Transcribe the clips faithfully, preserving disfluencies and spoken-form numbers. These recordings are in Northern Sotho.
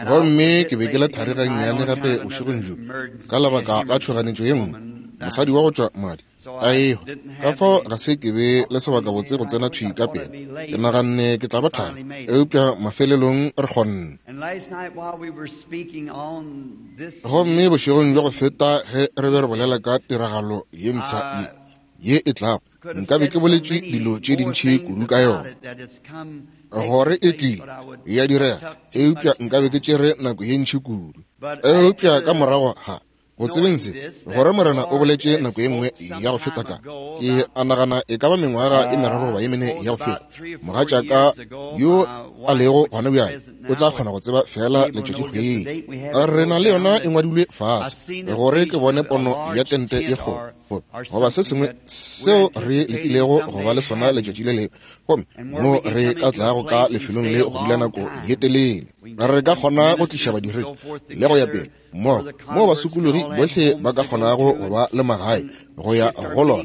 Gomme ke be ke le thari gannyane gape bošegong bjo ka lebaka la tšhoganetšo ye nngwe, mosadi wa go tšwa madi a ehwa. Ka fao ga se ke be le sebakabotse go tsena thwi ka pela. Ke naganne ke tla ba thari, eupša mafelelong re kgonne. Gomme bošegong bja go feta ge re be re bolela ka tiragalo ye mpsha ye ye e tlago, nkabe ke boletše dilo tše dintši kudu ka yona, gore e tlile ya direga, eupša nkabe ke tšere nako ye ntši kudu. Eupša ka morago ga go tsebeng se, gore Morena o boletše nako ye nngwe ya go feta ka, ke a nagana e ka ba mengwaga e meraro goba ye mene ya go feta, mogatšaka yo a lego gona bjale o tla kgona go tseba fela letšatšikgwedi. Re na le yona e ngwadilwe fase, gore ke bone pono ya tente ye kgolo goba se sengwe seo re letilego go ba le sona letšatši le lengwe, gomme mo re ka tlago ka lefelong le go dula nako ye telele. Re ka kgona go tliša badiredi le go ya pele mmogo, moo basokologi bohle ba ka kgonago go ba le magae go ya go lona,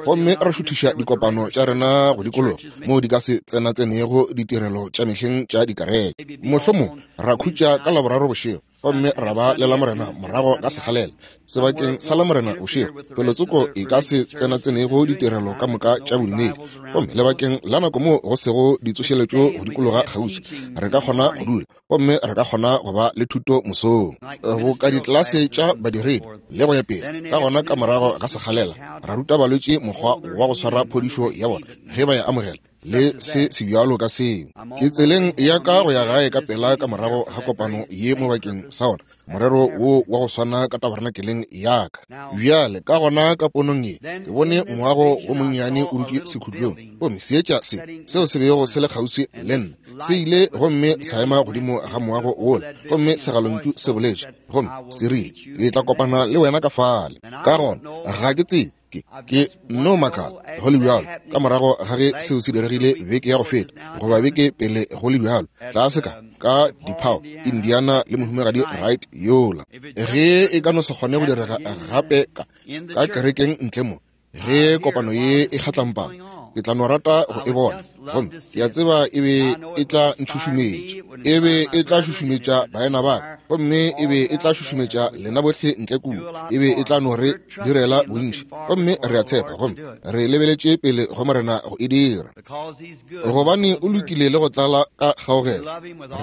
gomme re šuthiša dikopano tša rena go dikologa moo di ka se tsenatsenego ditirelo tša mehleng tša dikereke. Mohlomong ra khutša ka Laboraro bošego, gomme ra ba le Lamorena morago ka sekgalela sebakeng sa Lamorena bošego, felotsoko e ka se tsenatsenego ditirelo ka moka tša bodumedi, gomme lebakeng la nako moo go sego ditsošeletšo go dikologa kgauswi, re ka kgona go dula gomme re ka kgona go ba le thuto mosong, boka ditlelase tša badiredi le go ya pele. Ka gona ka morago ga sekgalela ra ruta balwetši mokgwa wa go swara phodišo ya bona ge ba e amogela, le se se bjalo ka seo. Ke tseleng ya ka go ya gae ka pela ka morago ga kopano ye mo bakeng sa ona morero wo wa go swana ka tabernakeleng ya ka. Bjale ka gona ka ponong ye ke bone moago wo monnyane o dutše sekhutlong, gomme seetša se seo se bego se le kgauswi le nna se ile gomme sa ema godimo ga moago wola, gomme segalontšu se boletše gomme se rile, ke tla kopana le wena ka fale. Ka gona ga ke tsebe, ke ke no makala go le bjalo ka morago ga ge seo se diregile beke ya go feta goba beke pele go le bjalo, tlase ka ka Diphao, Indiana le mohumagadi Wright yola, ge e ka no se kgone go direga gape ka ka kerekeng ntle mo, ge kopano ye e kgatlampana, ke tla no rata go e bona. Gomme ke a tseba e be e tla ntšhušumetša, e be e tla šušumetša baena ba ka, gomme e be e tla šušumetša lena bohle ntle kua, e be e tla no re direla bontši. Gomme re a tshepa gomme re lebeletše pele go Morena go e dira, gobane o lokile le go tlala ka kgaogelo.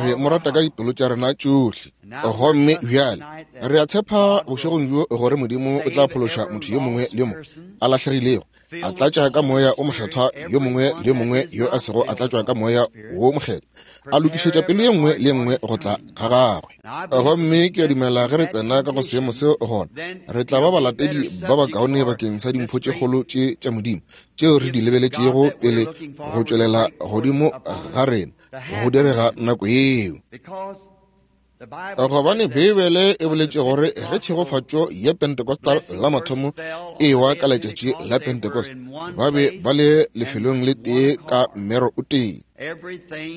Re mo rata ka dipelo tša rena tšohle. Gomme bjale re a tshepa bošegong bjo gore Modimo o tla phološa motho yo mongwe le yo mongwe a lahlegilego, a tlatša ka moya o mokgethwa yo mongwe le yo mongwe yo a sego a tlatšwa ka moya wo mokgethwa, a lokišetša pelo ye nngwe le ye nngwe go tla ga gagwe. Gomme ke a dumela ge re tsena ka go seemo seo, gona re tla ba balatedi ba bakaone bakeng sa dimpho tše kgolo tše tša Modimo tšeo re di lebeletšego pele go tšwelela godimo ga rena go direga nako yeo. Gobane Beibele e boletše gore ge tšhegofatšo ya Pentecostal la mathomo e wa ka letšatši la Pentecost, ba be ba le lefelong le tee ka mmero o tee.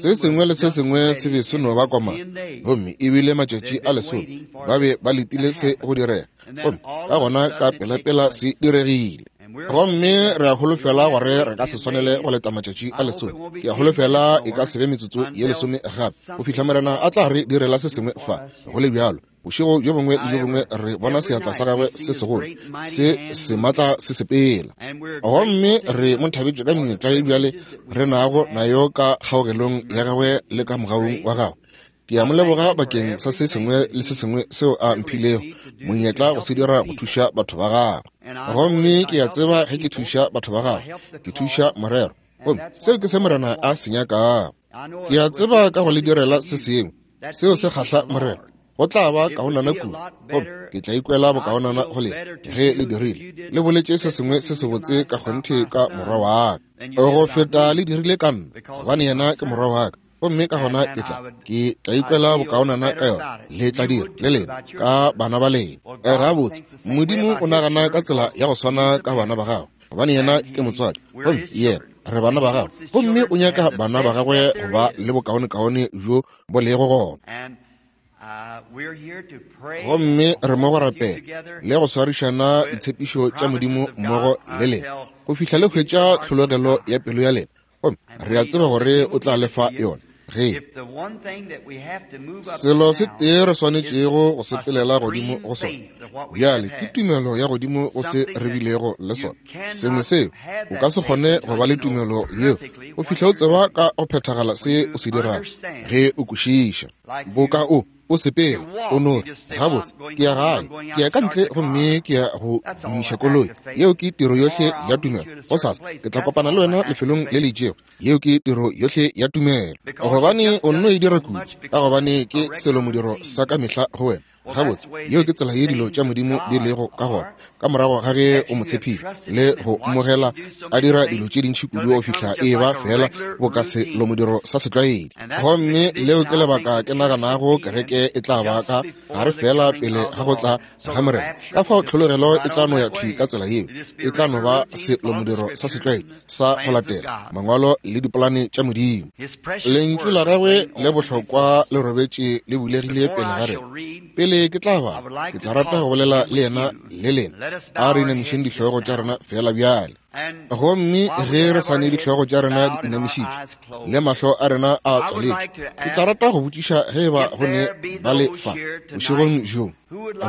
Se sengwe le se sengwe se be se no ba komana, gomme e bile matšatši a lesome ba be ba letile se go direga, gomme ka gona ka pelapela se diregile. Gomme re a holofela gore re ka se swanele go leta matšatši a lesome. Ke a holofela e ka se be metsotso ye lesome gape go fihla Morena a tla re direla se sengwe fa. Go le bjalo, bošego bjo bongwe le bjo bongwe re bona seatla sa gagwe se segolo se se matla se sepela, gomme re mo thabetše ka menyetla ye bjale re nago nayo ka kgaogelong ya gagwe le ka mogaung wa gagwe. Ke a mo leboga bakeng sa se sengwe le se sengwe seo a mphilego monyetla go se dira go thuša batho ba gagwe. Gomme ke a tseba ge ke thuša batho ba gagwe, ke thuša morero, gomme seo ke se Morena a se nyakago. Ke a tseba ka go le direla se sengwe seo se kgahla Morena, go tla ba kaonana kudu, gomme ke tla ikwela bokaonana go lena ge le dirile le boletše se sengwe se sebotse ka kgonthe ka morwa wa ka go feta le dirile ka nna, gobane yena ke morwa wa ka. Gomme ka gona ke tla ke tla ikwela bokaonana ka yona, le tla dira le lena ka bana ba lena. Gabotse, Modimo o nagana ka tsela ya go swana ka bana ba gagwe, gobane yena ke motswadi, gomme yena re bana ba gagwe, gomme o nyaka bana ba gagwe go ba le bokaonekaone bjo bo lego gona. Gomme re mo go rapela le go swarišana ditshepišo tša Modimo mmogo le lena go fihla le hwetša tlhologelo ya pelo ya lena, gomme re a tseba gore o tla lefa yona. Ge selo se tee re swanetšego go sepelela godimo go sona bjale ke tumelo ya godimo go se re bilego le sona. Sengwe seo o ka se kgone go ba le tumelo yeo go fihla o tseba ka go phethagala se o se dirago, ge o kwešiša. Boka o o sepela o no re, gabotse ke ya gae, ke ya ka ntle gomme ke ya go dumiša koloi. Yeo ke tiro yohle ya tumelo. Gosasa ke tla kopana le wena lefelong le le itšego. Yeo ke tiro yohle ya tumelo, gobane o nno e dira kudu, ka gobane ke selo modiro sa ka mehla go wena. Gabotse, yeo ke tsela ye dilo tša Modimo di lego ka gona. Ka morago ga ge o mo tshepile le go mmogela a dira dilo tše dintši kudu go fihla e ba fela boka selo modiro sa setlwaedi. Gomme leo ke lebaka ke naganago kereke e tla ba ka gare fela pele ga go tla ga Morena. Ka fao tlhologelo e tla no ya thwi ka tsela yeo, e tla no ba selo modiro sa setlwaedi sa go latela mangwalo le dipolane tša Modimo. Lentšu la gagwe le bohlokwa le robetše le bulegile pele ga rena. Pele ke tla ba, ke tla rata go bolela le yena le lena. A re inamišeng dihlogo tša rena fela bjale. Gomme ge re sa ne dihlogo tša rena di inamišitšwe le mahlo a rena a tswaletšwe, ke tla rata go botšiša ge eba go ne ba le fa bošegong bjo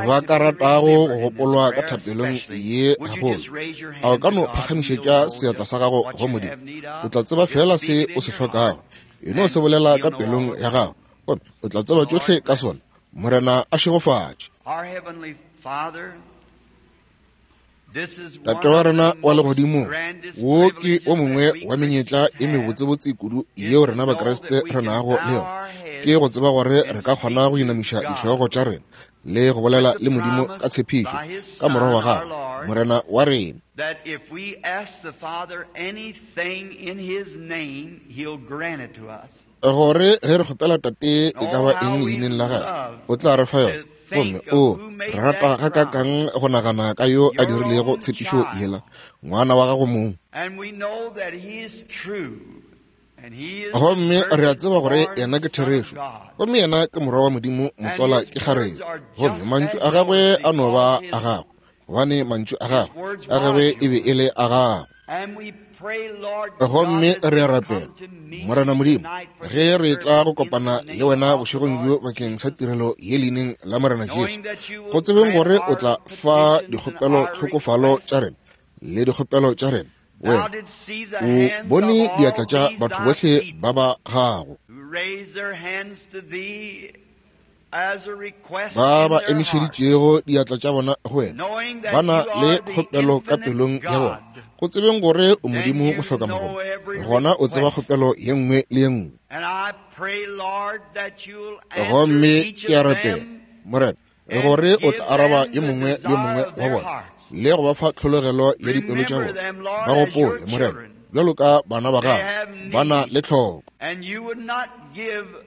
ba ka ratago go gopolwa ka thapelong ye gagolo. A o ka no phagamišetša seatla sa gago go Modimo? O tla tseba fela se o se hlokago. E no se bolela ka pelong ya gago, gomme o tla tseba tšohle ka sona. Morena a šegofatše. Tate wa rena wa legodimo, wo ke o mongwe wa menyetla e mebotsebotse kudu yeo rena Bakriste re nago le yona, ke go tseba gore re ka kgona go inamiša dihlogo tša rena le go bolela le Modimo ka tshepišo ka morwa wa gagwe, Morena wa rena. Gore ge re kgopela Tate e ka ba eng leineng la gagwe, o tla re fa yona. Gomme o re rata gakakang go nagana ka yo a dirilego tshepišo yela, ngwana wa gago mong. Gomme re a tseba gore yena ke therešo, gomme yena ke morwa wa Modimo, motswala ke kgarebe. Gomme mantšu a gagwe a no ba a gagwe, gobane mantšu a gagwe a gagwe e be e le a gagwe. Gomme re a rapela, Morena Modimo, ge re tla go kopana le wena bošegong bjo bakeng sa tirelo ye leineng la Morena Jesu, go tsebeng gore o tla fa dikgopelo tlhokofalo tša rena le dikgopelo tša rena. Wena o bone diatla tša batho bohle ba ba gago ba ba emišeditšego diatla tša bona go wena, ba na le kgopelo ka pelong ya bona, go tsebeng gore o Modimo mohlokamagomo, gona o tseba kgopelo ye nngwe le ye nngwe. Gomme ke a rapela, Morena, gore o tla araba yo mongwe le yo mongwe wa bona le go ba fa tlhologelo ya dipelo tša bona. Ba gopole, Morena, bjalo ka bana ba gago ba na le tlhoko.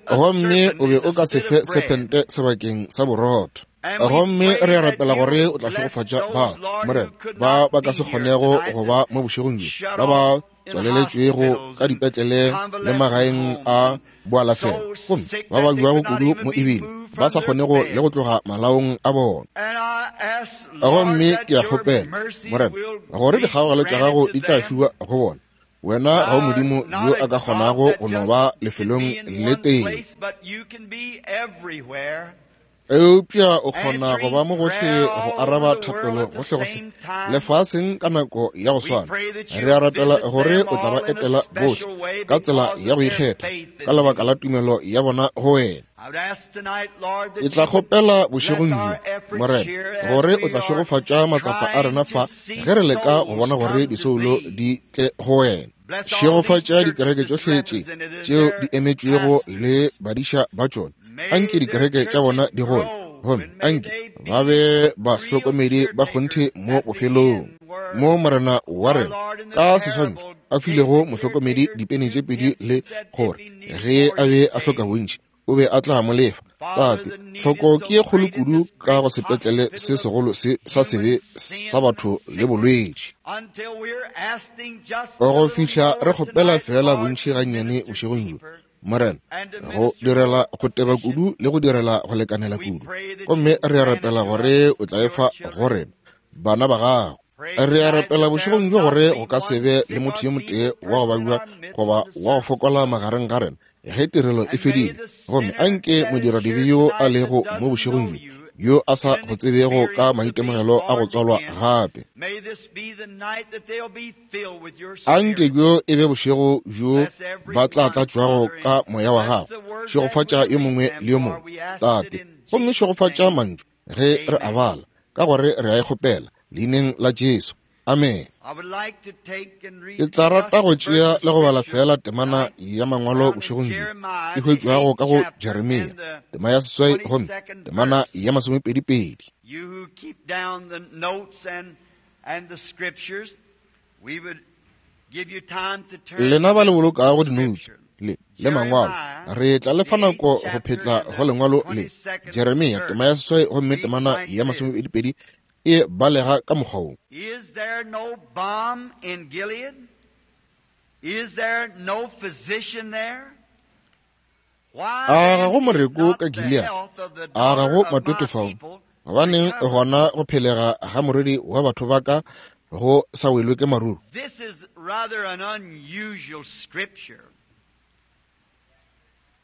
Gomme o be o ka se fe sephente sebakeng sa borotho. Gomme re a rapela gore o tla šegofatša ba, Morena, ba ba ka se kgonego go ba mo bošegong bjo, ba ba tswaleletšwego ka dipetlele le magaeng a boalafelo, gomme ba ba bjago kudu mo ebile ba sa kgonego le go tloga malaong a bona. Gomme ke a kgopela, Morena, gore dikgaogelo tša gago di tla fiwa go bona. Wena ga o Modimo yo a ka kgonago go no ba lefelong le tee, eupša o kgona go ba mo gohle go araba thapelo gohlegohle lefaseng ka nako ya go swana. Re a rapela gore o tla ba etela bohle ka tsela ya go ikgetha ka lebaka la tumelo ya bona go wena. Ke tla kgopela bošegong bjo, Morena, gore o tla šegofatša matsapa a rena fa ge re leka go bona gore disoulo di tle go wena. Šegofatša dikereke tšohle tše tšeo di emetšwego le badiša ba tšona. Anke dikereke tša bona di gole, gomme anke ba be bahlokomedi ba kgonthe mo bofelong. Mo Morena wa rena ka seswantšho a filego mohlokomedi dipene tše pedi le gore ge a be a hloka bontši o be a tla mo lefa. Tate, tlhoko ke ye kgolo kudu ka go sepetlele se segolo se sa sebe sa batho le bolwetši, go fihla re kgopela fela bontši gannyane bošegong bjo, Morena, go direla go teba kudu le go direla go lekanela kudu. Gomme re a rapela gore o tla efa go rena bana ba gago. Re a rapela bošegong bjo gore go ka se be le motho yo motee wa go babja goba wa go fokola magareng ga rena ge tirelo e fedile, gomme anke modiradibe yo a lego mo bošegong bjo, yo a sa go tsebego ka maitemogelo a go tswalwa gape, anke bjo e be bošego bjo ba tla tlatšwago ka moya wa gago. Šegofatša yo mongwe le yo mongwe, Tate, gomme šegofatša mantšu ge re a bala, ka gore re a e kgopela leineng la Jesu. Amen. Ke tla rata go tšea le go bala fela temana ya mangwalo bošegong bjo, e hwetšwago ka go Jeremia, tema ya seswai gomme temana ya masomepedi-pedi. Lena ba le bolokago dinoutse le le mangwalo, re tla le fa nako go phetla go lengwalo le. Jeremia tema ya seswai gomme temana ya masomepedi-pedi e balega ka mokgwa wo. Is there no balm in Gilead? Is there no physician there? A ga go moreko ka Gilead? A ga go matwetwe fao? Gobaneng gona go phelega ga morwedi wa batho ba ka go sa welwe ke maruru? This is rather an unusual scripture.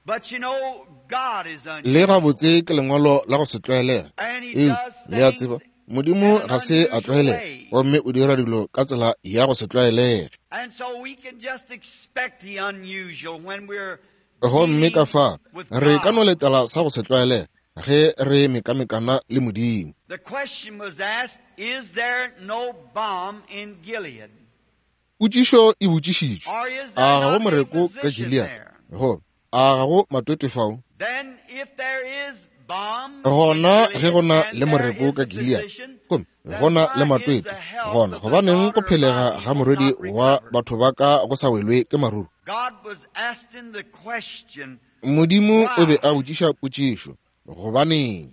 But you know, God is unusual. Le gabotse ke lengwalo la go se tlwaelega. Eupša le a tseba, Modimo ga se a tlwaelega, gomme o dira dilo ka tsela ya go se tlwaelege. Gomme ka fa re ka no letela sa go se tlwaelege ge re mekamekana le Modimo. Potšišo e botšišitšwe, a ga go moreko ka Gilead? Goba a ga go matwetwe fao? Gona ge go na le moreko ka Gilead, gomme go na le matwetwe, gona gobaneng go phelega ga morwedi wa batho ba ka go sa welwe ke maruru? Modimo o be a botšiša potšišo, gobaneng?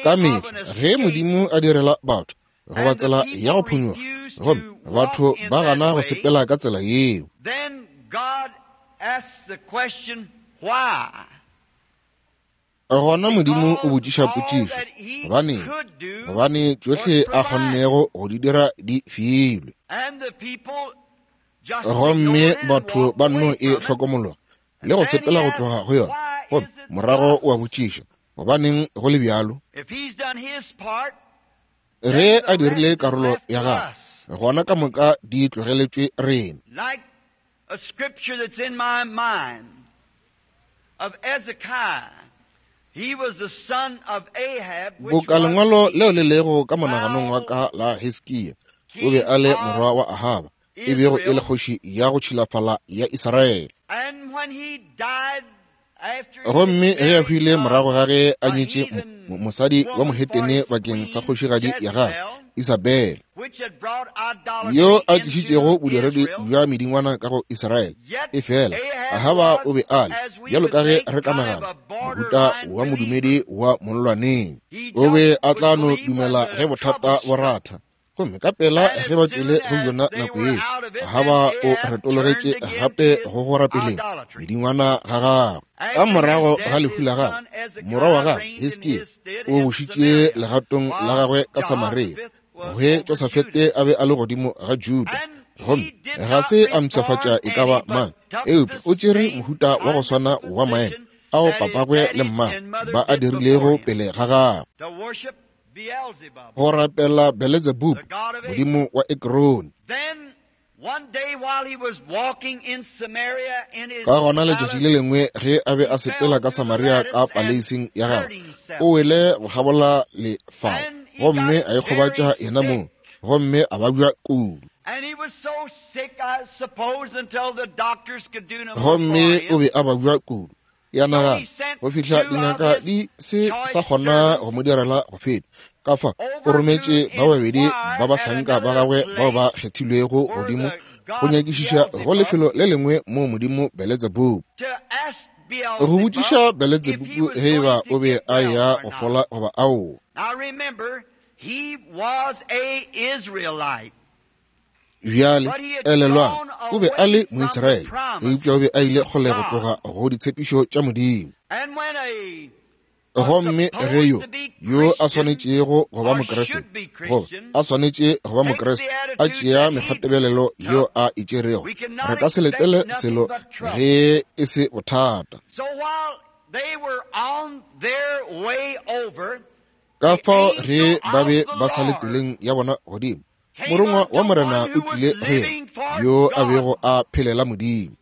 Ka mehla ge Modimo a direla batho goba tsela ya go phonyokga, gomme batho ba gana go sepela ka tsela yeo, gona Modimo o botšiša potšišo, gobaneng? Gobane tšohle a kgonnego go di dira di filwe, gomme batho ba nno e hlokomologa le go sepela go tloga go yona. Gomme morago o a botšiša, gobaneng go le bjalo? Ge a dirile karolo ya gagwe, gona ka moka di tlogeletšwe rena. Like a scripture that's in my mind of Ezekiah. He was the son of Ahab, which Boka was lengwalo the leo le lego ka monaganong wa ka la Hiskia, o be a le morwa wa Ahaba, e bego e le kgoši ya go tšhilafala ya Israele. And when he died after he Gomme had ge a married, hwile uh, morago ga ge a a nyetše heathen mo- mosadi wa woman for mohetene his bakeng sa queen kgošigadi ya gagwe Jezebel, Isabele, which had brought idolatry yo a into tlišitšego bodiredi Israel, bja medingwana ka go Israele. yet E fela Ahab Ahaba o be was, a le, as we bjalo would ka ge think, re ka kind of nagana, a mohuta borderline wa believer. modumedi wa mollwaneng. He O be just a would tla no believe when dumela ge the bothata trouble bo struck. ratha. Gomme ka pela And ge as ba tšwele soon go as yona they nako were yeo, out of it, then Ahaba o Ahab turned retologetše again to gape his go go rapeleng idolatry. medingwana ga gagwe. Ka After his morago ga death, lehu his la gagwe, son morwa wa Ezekiah gagwe reigned in Hiskia his stead o in bušitše Samaria, legatong la while gagwe ka Samaria, Jehoshaphat was ge over Josafete Judah. a be a le godimo ga Juda. And Gomme he did ga not se a reform mpshafatša e ka ba any, but mang, took eupša the o tšere same mohuta wa go kind of swana wa maemo position ao that his papagwe le daddy mmagwe and mother ba a did before dirilego him, pele ga gagwe, to worship Beelzebub, go rapela Beelzebub, the god of Acre. modimo wa Ekrone. Then one day while he was walking in Samaria in his Ka gona letšatši le palace, lengwe ge a be he a fell sepela ka through the Samaria lattice ka and paleising ya hurt gagwe, himself. o wele go kgabola lefao And he gomme got a ikgobatša very yena mong, sick. gomme a babja kudu. And he was so sick, I suppose, until the doctors could do no more for Gomme o him. be a babja kudu, ya So he nagana sent go fihla two of dingaka his di se choice sa kgona go servants mo direla go feta. Ka fa o over to rometše ba babedi ba inquire at bahlanka ba another gagwe bao ba place kgethilwego where godimo the go god nyakišiša go Beelzebub, lefelo le lengwe mo modimo Beelzebub, to ask go Beelzebub botšiša if he Beelzebub was ge e ba going to o be get a well ya or go not. fola goba aowa. Now remember, he was a Israelite, Bjale but he had elelwang, gone o be a away le from the Moisraele, eupša o promise be a ile of kgole go God. tloga go ditshepišo tša Modimo. And when a Gomme ge yo yo a swanetšego go ba Mokriste, goba a swanetše go ba Mokriste, a tšea mekgwatebelelo yo a e tšerego, re ka se letele selo ge e se bothata. Ka fao ge ba be ba sa le tseleng ya bona godimo, morongwa wa Morena o tlile go yena yo a bego a phelela Modimo.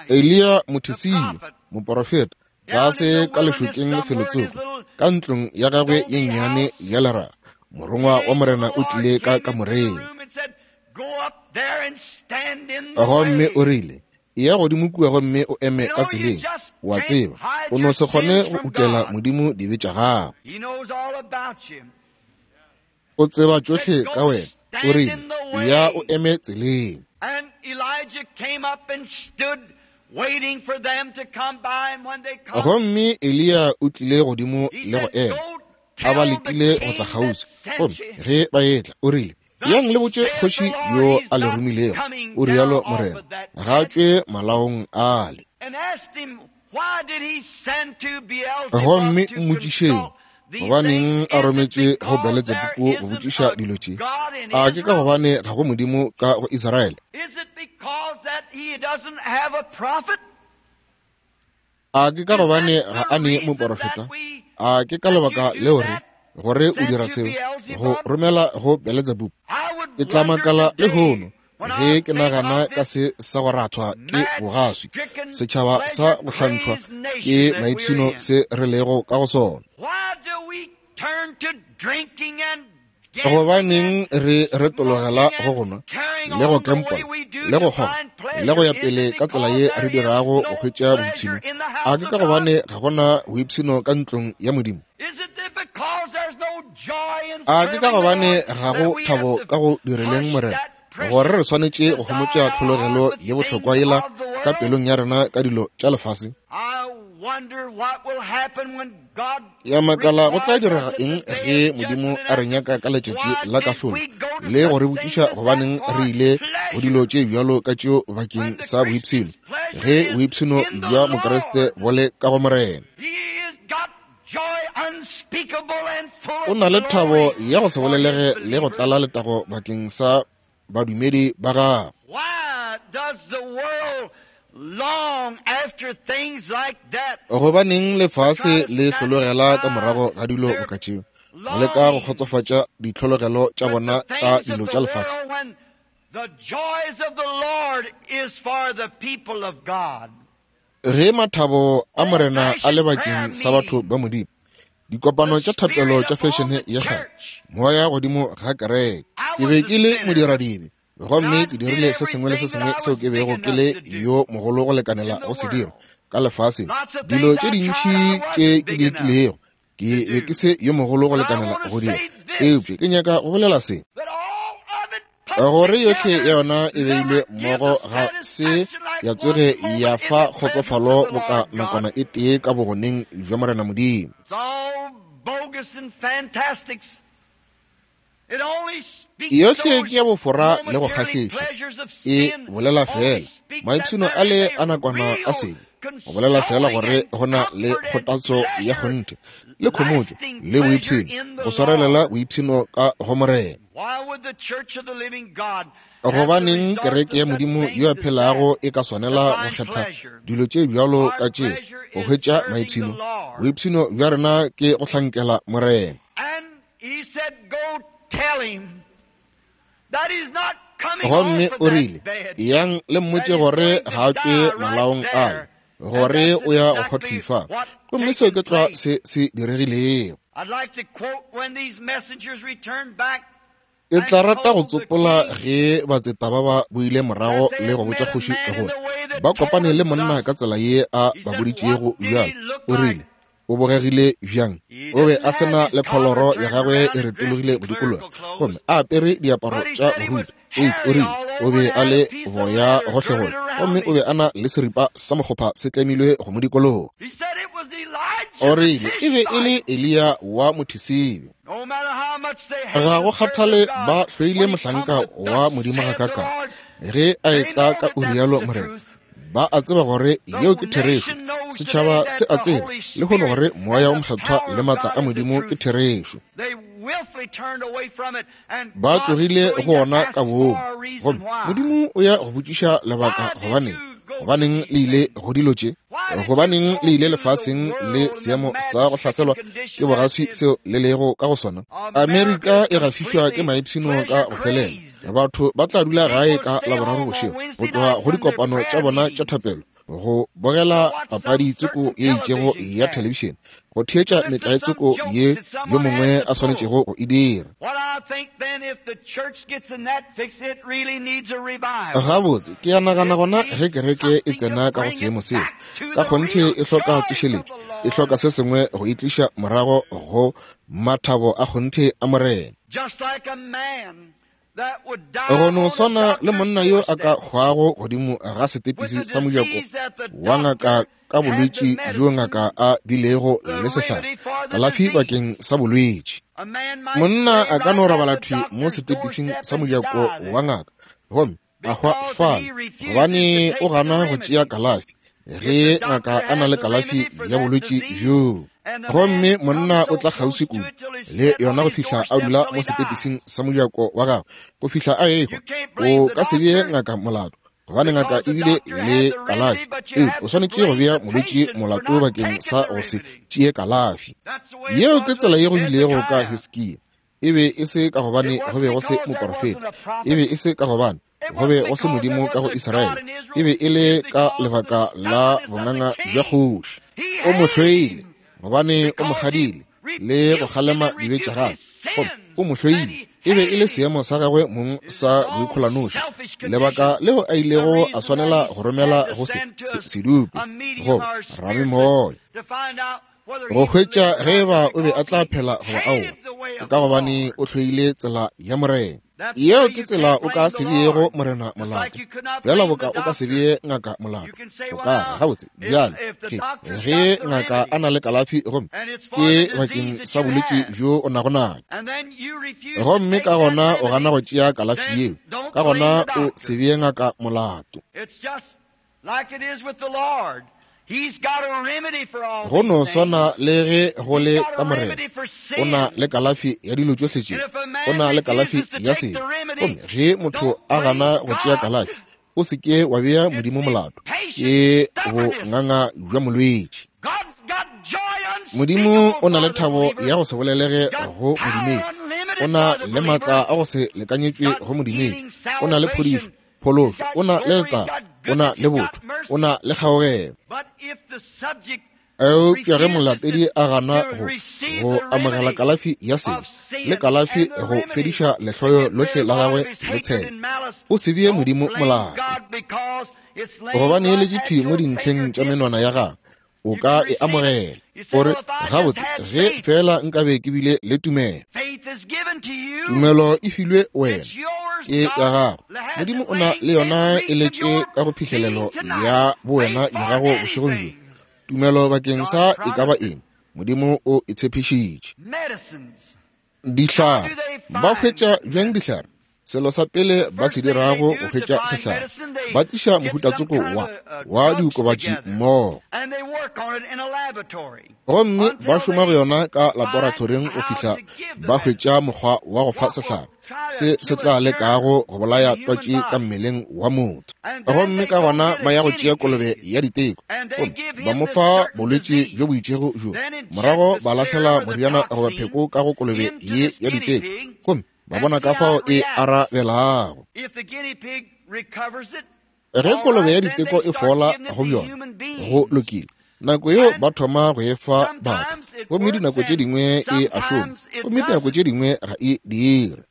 Eliya Mothesibe, moporofeta, tlase ka lešokeng felotsoko, ka ntlong ya gagwe ye nnyane ya leraga, morongwa wa Morena o tlile ka kamoreng. Gomme o rile, eya godimo kua gomme o eme ka tseleng. Wa tseba, o no se kgone go utela Modimo dibe tša gago. O tseba tšohle ka wena. O rile, ya o eme tseleng. Gomme Eliya o tlile godimo le go ema, a ba letile go tla kgauswi. Gomme ge ba etla, o rile, yang le botše kgoši yo a le romilego, o rialo Morena, ga tšwe malaong ale. Gomme mmotšišeng, gobaneng a rometše go Beletsebubu go botšiša dilo tše? A ke ka gobane ga go Modimo ka go Israele? A ke ka gobane ga a ne moporofeta? A ke ka lebaka leo re gore o dira seo, go romela go Beletsebubu? Ke tla makala lehono ge ke nagana ka se sa go rathwa ke bogaswi, setšhaba sa go hlantšhwa ke maipshino se re lego ka go sona. Gobaneng re retologela go go nwa le go kempola le go kgoga le go ya pele ka tsela ye re dirago go hwetša boipshino? A ke ka gobane ga gona boipshino ka ntlong ya Modimo? A ke ka gobane ga go thabo ka go direleng Morena, gore re swanetše go homotša tlhologelo ye bohlokwa yela ka pelong ya rena ka dilo tša lefase? Ya makala go tla direga eng ge Modimo a re nyaka ka letšatši la kahlolo le go re botšiša gobaneng re ile go dilo tše bjalo ka tšeo bakeng sa boipshino, ge boipshino bja Mokriste bo le ka go Morena? O na le thabo ya go se bolelege le go tlala letago bakeng sa badumedi ba gagwe. Gobaneng lefase le hlologela ka morago ga dilo boka tšeo, go leka go kgotsofatša ditlhologelo tša bona ka dilo tša lefase? Ge mathabo a Morena a le bakeng sa batho ba Modimo, dikopano tša thapelo tša fešene ya kgale, moya godimo ga kereke. Ke be ke le modiradibe, gomme ke dirile se sengwe le se sengwe seo ke bego ke le yo mogolo go lekanela go se dira ka lefaseng. Dilo tše dintši tše ke di lekilego, ke be ke se yo mogolo go lekanela go dira. Eupša ke nyaka go bolela se, gore yohle ya yona e beilwe mmogo ga se ya tsoge ya fa kgotsofalo boka nakwana e tee ka bogoneng bja Morena Modimo. Yohle ke ya bofora le go kgahliša, e bolela fela maipshino a le a nakwana a sebe, go bolela fela gore go na le kgothatso ya kgonthe le khomotšo le boipshino, go swarelela boipshino ka go Morena. Gobaneng kereke ya Modimo yo a phelago e ka swanela go kgetha dilo tše bjalo ka tše go hwetša maipshino? Boipshino bja rena ke go hlankela Morena. Gomme o rile, yang le mmotše gore ga a tšwe malaong ale, gore o ya go hwathifa. Gomme seo ke tlwa se se diregilego. Ke tla rata go tsopola ge batseta ba ba boile morago le go botša kgoši gore ba kopane le monna ka tsela ye a ba boditšego bjalo. O rile, o bogegile bjang? O be a sena le kholoro ya gagwe e retologile go dikologa, gomme a apere diaparo tša boruti. Eupša o rile o be a le boya gohlegohle, gomme o be a na le seripa sa mokgopha se tlemilwe go mo dikologa. O rile e be e le Eliya wa Mothisibe. Ga go kgathale ba hloile mohlanka wa Modimo gakakang, ge a etla ka o rialo Morena, ba a tseba gore yeo ke therešo. Setšhaba se a tseba lehono gore Moya o Mokgethwa le maatla a Modimo ke therešo. Ba tlogile go ona ka boomo, gomme Modimo o ya go botšiša lebaka gobaneng. Gobaneng le ile go dilo tše? Gobaneng le ile lefaseng le seemo sa go hlaselwa ke bogaswi seo le lego ka go sona? Amerika e gafišwa ke maipshino ka go felela. Batho ba tla dula gae ka Laboraro bošego go tloga go dikopano tša bona tša thapelo, go bogela papadi tsoko ye itšego ya thelebišene, go theetša metlae tsoko ye yo mongwe a swanetšego go e dira. Gabotse, ke a nagana gona ge kereke e tsena ka go seemo seo, ka kgonthe e hloka tsošeletšo, e hloka se sengwe go e tliša morago go mathabo a kgonthe a Morena. Go no swana le monna yo a ka hwago godimo ga setepisi sa mojako wa ngaka ka bolwetši bjo ngaka a bilego le sehlare kalafi bakeng sa bolwetši. Monna a ka no robala thwi mo setepising sa mojako wa ngaka gomme a hwa fale gobane o gana go tšea kalafi ge ngaka a na le kalafi ya bolwetši bjoo. Gomme monna o tla kgauswi kudu le yona go fihla a dula mo setepising sa mojako wa gagwe go fihla a ehwa. O ka se bee ngaka molato gobane ngaka e bile le kalafi, eupša o swanetše go bea molwetši molato bakeng sa go se tšee kalafi. Yeo ke tsela ye go bilego ka Hiskia. E be e se ka gobane go be go se moporofeta, e be e se ka gobane go be go se Modimo ka go Israele, e be e le ka lebaka la bonganga bja kgoši. O mo hloile gobane o mo kgadile le go kgalema dibe tša gagwe, gomme o mo hloile. E be e le seemo sa gagwe mong sa boikgolanoši, lebaka leo a ilego a swanela go romela go se sedupe goba ramemoya go hwetša ge eba o be a tla phela goba aowa, ka gobane o hloile tsela ya Morena. Yeo ke tsela o ka se beego Morena molato, bjalo boka o ka se bee ngaka molato. O ka re, gabotse, bjale ke ge ngaka a na le kalafi gomme ke bakeng sa bolwetši bjo o nago nayo, gomme ka gona o gana go tšea kalafi yeo, ka gona o se bee ngaka molato. Go no swana le ge go le ka Morena, o na le kalafi ya dilo tšohle tše, o na le kalafi ya sebe. Gomme ge motho a gana go tšea kalafi, o se ke wa bea Modimo molato, ke bonganga bja molwetši. Modimo o na le thabo ya go se bolelege go modumedi, o na le maatla a go se lekanyetšwe go modumedi, o na le phodišo, phološo, o na le letago, o na le botho, o na le kgaogelo. Eupša ge molatedi a gana go go amogela kalafi ya sebe le kalafi go fediša lehloyo lohle la gagwe le tshelo, o se bee Modimo molato, gobane e letše thwi mo dintlheng tša menwana ya gagwe. O ka e amogela. O re, gabotse, ge fela nkabe ke bile le tumelo. Tumelo e filwe wena, ke ya gago. Modimo o na le yona e letše ka go phihlelelo ya bowena ya gago bošegong bjo. Tumelo bakeng sa e ka ba eng, Modimo o e tshepišitše. Dihlare, ba hwetša bjang dihlare? Selo sa pele ba se dirago go hwetša sehlare, ba tliša mohutatsoko wa wa diokobatši mmogo, gomme ba šoma go yona ka laboratoring go fihla ba hwetša mokgwa wa go fa sehlare se se tla lekago go bolaya twatši ka mmeleng wa motho. Gomme ka gona ba ya go tšea kolobe ya diteko, gomme ba mo fa bolwetši bjo bo itšego bjo, morago ba lahlela moriana goba pheko ka go kolobe ye ya diteko, gomme ba bona ka fao e arabelago. Ge kolobe ya diteko e fola go bjona, go lokile, nako yeo ba thoma go e fa batho, gomme dinako tše dingwe e a šoma, gomme dinako tše dingwe ga e dire.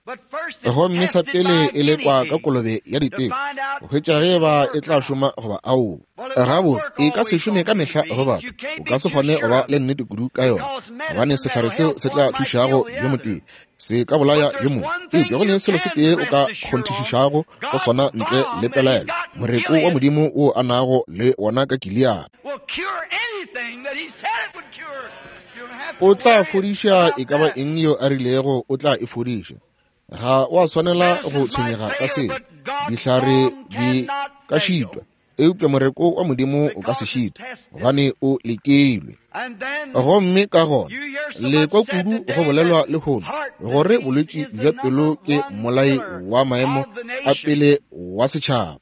Gomme sa pele e lekwa ka kolobe ya diteko go hwetša ge eba e tla šoma goba aowa. Gabotse, e ka se šome ka mehla go batho, o ka se kgone go ba le nnete kudu ka yona, gobane sehlare seo se tla thušago yo motee se ka bolaya yo mongwe. Eupša go ne selo se tee o ka kgonthišišago go sona ntle le pelaelo, moreko wa Modimo wo a nago le wona ka Gilead o tla fodiša e ka ba eng yo a rilego o tla e fodiša. Ga wa swanela go tshwenyega ka seo. Dihlare di ka šitwa, Eupša moreko wa Modimo o ka se šite, gobane o lekilwe. Gomme ka gona le kwa kudu go bolelwa lehono gore bolwetši bja pelo ke mmolai wa maemo a pele wa setšhaba.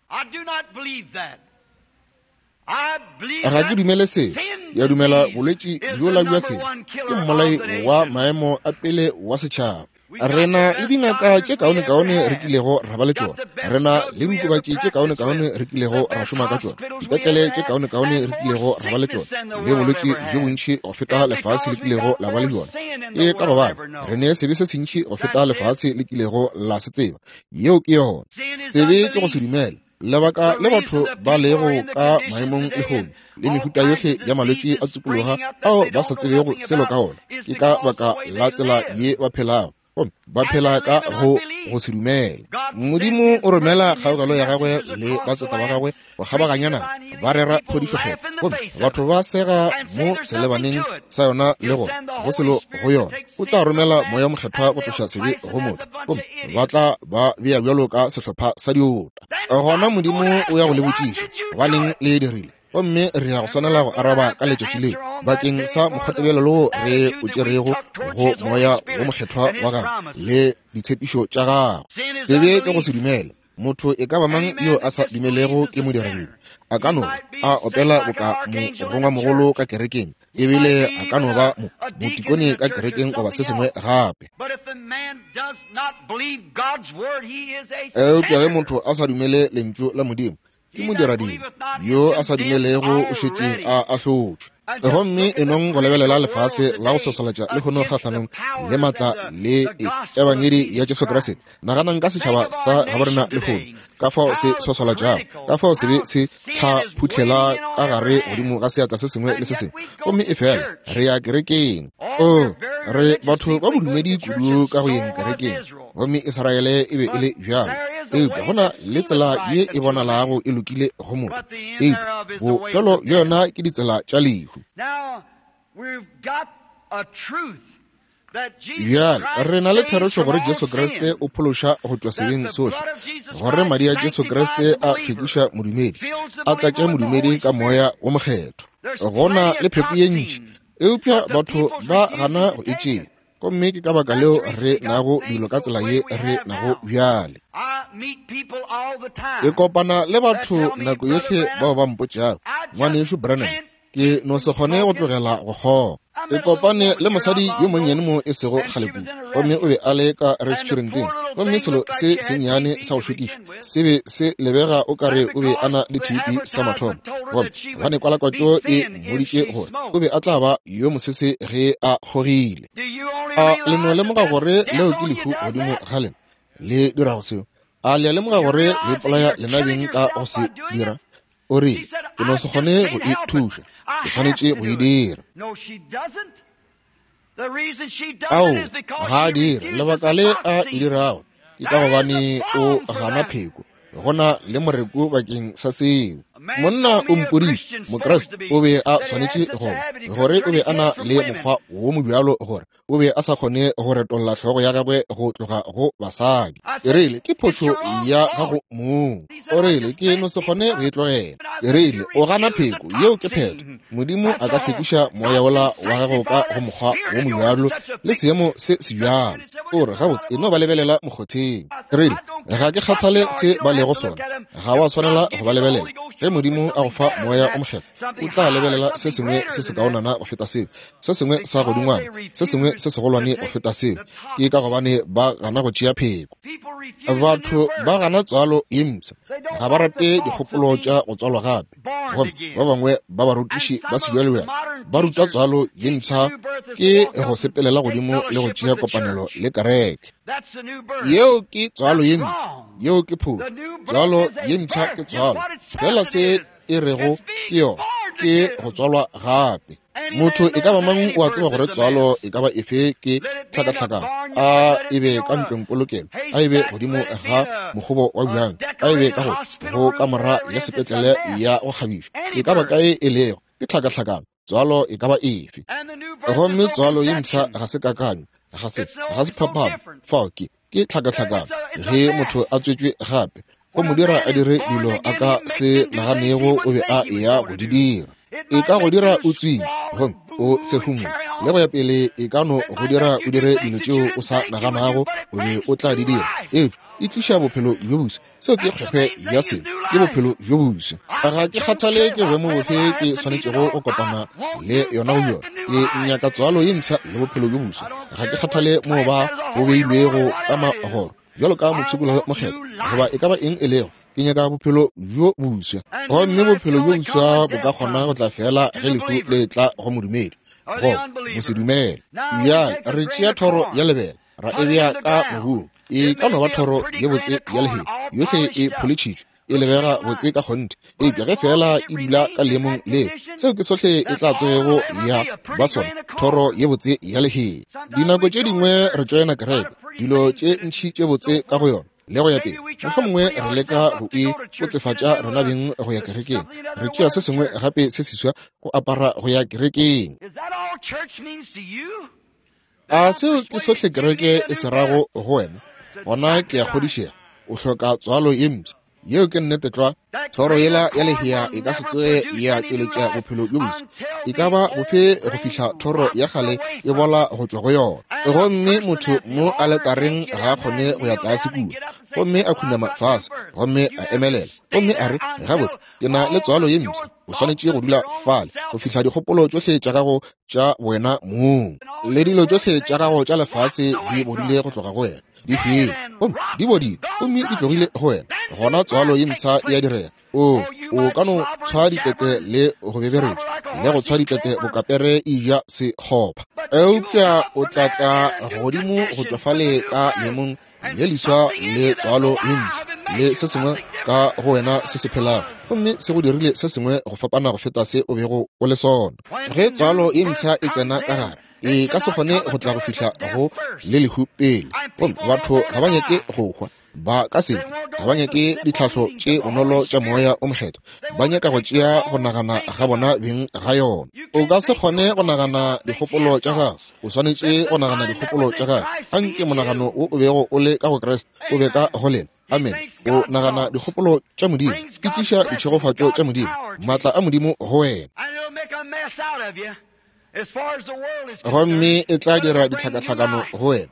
Ga ke dumele se. Ya dumela bolwetši bjola bja sebe ke mmolai wa maemo a pele wa setšhaba. Re na le dingaka tše kaonekaone re kilego ra ba le tšona. Re na le diokobatši tše kaonekaone re kilego ra šoma ka tšona. Dipetlele tše kaonekaone re kilego ra ba le tšona. Le bolwetši bjo bontši go feta lefase le kilego la ba le bjona. Ke ka gobane re ne sebe se sentši go feta lefase le kilego la se tseba. Yeo ke yona. Sebe ke go se dumele. Lebaka le batho ba lego ka maemong lehono le mehuta yohle ya malwetši a tsupologa ao ba sa tsebego selo ka ona, ke ka baka la tsela ye ba phelago. Gomme ba phela ka go go se dumele. Modimo o romela kgaogelo ya gagwe le batseta ba gagwe go kgabaganya naga, ba rera phodišo-kgethwa. Gomme batho ba sega mo selebaneng sa yona le go go selo go yona. O tla romela moya mokgethwa go tloša sebe go motho, gomme ba tla ba bea bjalo ka sehlopha sa diota. Gona Modimo o ya go le botšiša, gobaneng le e dirile? Gomme re ya go swanela go araba ka letšatši leo bakeng sa mokgwatebelelo wo re o tšerego go moya wo mokgethwa wa gagwe le ditshepišo tša gagwe. Sebe ke go se dumele. Motho e ka ba mang yo a sa dumelego ke modiradibe. A ka no a opela boka morongwamogolo ka kerekeng, ebile a ka no ba motikone ka kerekeng goba se sengwe gape. Eupša ge motho a sa dumele lentšu la Modimo, ke modiradibe. Yo a sa dumelego o šetše a ahlotšwe. Gomme e nong go lebelela lefase la go sosolatša lehono kgahlanong le maatla le ebangedi ya Jesu Kriste. Naganang ka setšhaba sa gaborena lehono, ka fao se sosolatšago, ka fao sebe se tlhaphuhlela ka gare godimo ga seatla se sengwe le se sengwe. Gomme efela re ya kerekeng. O re batho ba bodumedi kudu ka go yeng kerekeng. Gomme Israele e be e le bjalo. Eupša go na le tsela ye e bonalago e lokile go motho, eupša bofelo bja yona ke ditsela tša lehu. Bjale re na le therešo gore Jesu Kriste o phološa go tšwa sebeng sohle, gore madi a Jesu Kriste a hlwekiša modumedi, a tlatša modumedi ka moya wo mokgethwa. Go na le pheko ye ntši, eupša batho ba gana go e tšea. Gomme ke ka baka leo re nago dilo ka tsela ye re nago bjale. Ke kopana le batho nako yohle bao ba mpotšago, ngwanešu Branham, ke no se kgone go tlogela go kgoga. Ke kopane le mosadi yo monnyane mo e sego kgale kudu, gomme o be a le ka restauranteng, gomme selo se sennyane sa go šokiša se be se lebega o kare o be a na le T B sa mathomo. Gomme gobane kwalakwatšo e mmoditše gore o be a tla ba yo mosese ge a kgogile. A le no lemoga gore leo ke lehu godimo ga lena le dirago seo? A le a lemoga gore le ipolaya lena beng ka go se dira? O rile, ke no se kgone go e thuša, ke swanetše go e dira. Ao, ga a dire. Lebaka le a e dirago ke ka gobane o gana pheko. Go na le moreko bakeng sa seo. Monna o mpoditše, Mokriste o be a swanetše go gore o be a na le mokgwa wo mobjalo gore o be a sa kgone go retolla hlogo ya gagwe go tloga go basadi. Ke rile, ke phošo ya gago mong. O rile, ke no se kgone go e tlogela. Ke rile, o gana pheko, yeo ke phetho. Modimo a ka hlwekiša moya wola wa gago ka go mokgwa wo mobjalo le seemo se sebjalo. O re, gabotse, e no ba lebelela mokgotheng. Ke rile, ga ke kgathale se ba lego sona, ga wa swanela go ba lebelela. Ge Modimo a go fa moya o mokgethwa, o tla lebelela se sengwe se se kaonana go feta seo, se sengwe sa godingwana, se sengwe se segolwane go feta seo. Ke ka gobane ba gana go tšea pheko. Batho ba gana tswalo ye mpsha, ga ba rate dikgopolo tša go tswalwa gape. Gomme ba bangwe ba barutiši ba sebjalebjale ba ruta tswalo ye mpsha ke go sepelela godimo le go tšea kopanelo le kereke. Yeo ke tswalo ye mpsha, yeo ke phošo. Tswalo ye mpsha ke tswalo fela se e rego ke yona, ke go tswalwa gape. Motho e ka ba mang o a tseba gore tswalo e ka ba efe ke tlhakatlhakano, a e be ka ntlong polokelo, a e be godimo ga mokgobo wa bjang, a e be ka go go kamora ya sepetlele ya go kgabišwa, e ka ba kae e lego, ke tlhakatlhakano. Tswalo e ka ba efe. Gomme tswalo ye mpsha ga se kakanyo, ga se ga se phapano. Fao ke ke tlhakatlhakano. Ge motho a tswetšwe gape, Go mo dira a dire dilo a ka se naganego o be a eya go di dira. E ka go dira o tswile, gomme o sehumo, le go ya pele e ka no go dira o dire dilo tšeo o sa naganago o be o tla di dira. Eupša e tliša bophelo bjo boswa. Seo ke kgwekgwe ya selo, ke bophelo bjo boswa. Ga ke kgathale ke boemo bofe ke swanetšego go kopana le yona go yona. Ke nyaka tswalo ye mpsha le bophelo bjo boswa. Ga ke kgathale moo ba bo beilwego ka magoro bjalo ka mopshikologi mokgethwa goba e ka ba eng e lego. Ke nyaka bophelo bjo boswa. Gomme bophelo bjo boswa bo ka kgona go tla fela ge lehu le tla go modumedi goba mosedumele. Bjale re tšea thoro ya lebele ra e bea ka mobung. E ka no ba thoro ye botse ya lehea, yohle e pholetšhitšwe, e lebega botse ka kgonthe, eupša ge fela e dula ka leemong leo, seo ke sohle e tla tsogego ya ba sona, thoro ye botse ya lehea. Dinako tše dingwe re tšoena kereke, dilo tše ntši tše botse ka go yona, le go ya pele. Mohlomongwe re leka go e botsefatša rena beng go ya kerekeng. Re tšea se sengwe gape se seswa go apara go ya kerekeng. A seo ke sohle kereke e se rago go wena? Gona ke a kgodišega o hloka tswalo ye mpsha. Yeo ke nnete tlwa. Thoro yela ya lehea e ka se tsoge ya tšweletša bophelo bjo boswa, e ka ba bofe go fihla thoro ya kgale e bola go tšwa go yona. Gomme motho mo aletareng ga a kgone go ya tlase kua, gomme a khunama fase, gomme a emelela, gomme a re, gabotse, ke na le tswalo ye mpsha. O swanetše go dula fale go fihla dikgopolo tšohle tša gago tša wena mong le dilo tšohle tša gago tša lefase di bodile go tloga go wena, di hwile, gomme di bodile, gomme di tlogile go wena. Gona tswalo ye mpsha e a direga. O o ka no tshwa ditete le go beberetša, le go tshwa ditete bokapere e ja sekgopha, eupša o tla tla godimo go tšwa fale ka leemong le leswa le tswalo ye mpsha le se sengwe ka go wena se se phelago, gomme se go dirile se sengwe go fapana go feta se o bego o le sona. Ge tswalo ye mpsha e tsena ka gare, e ka se kgone go tla go fihla go le lehu pele. Gomme batho ga ba nyake go hwa, ba ka se ga ba nyake ditlhahlo tše bonolo tša moya o mokgethwa, ba nyaka go tšea go nagana ga bona beng ga yona. O ka se kgone go nagana dikgopolo tša gago, o swanetše go nagana dikgopolo tša gago. Anke monagano wo o bego o le ka go Kriste o be ka go lena. Amen. O nagana dikgopolo tša Modimo, e tliša ditšhegofatšo tša Modimo, maatla a Modimo go wena, gomme e tla dira ditlhakatlhakano go wena.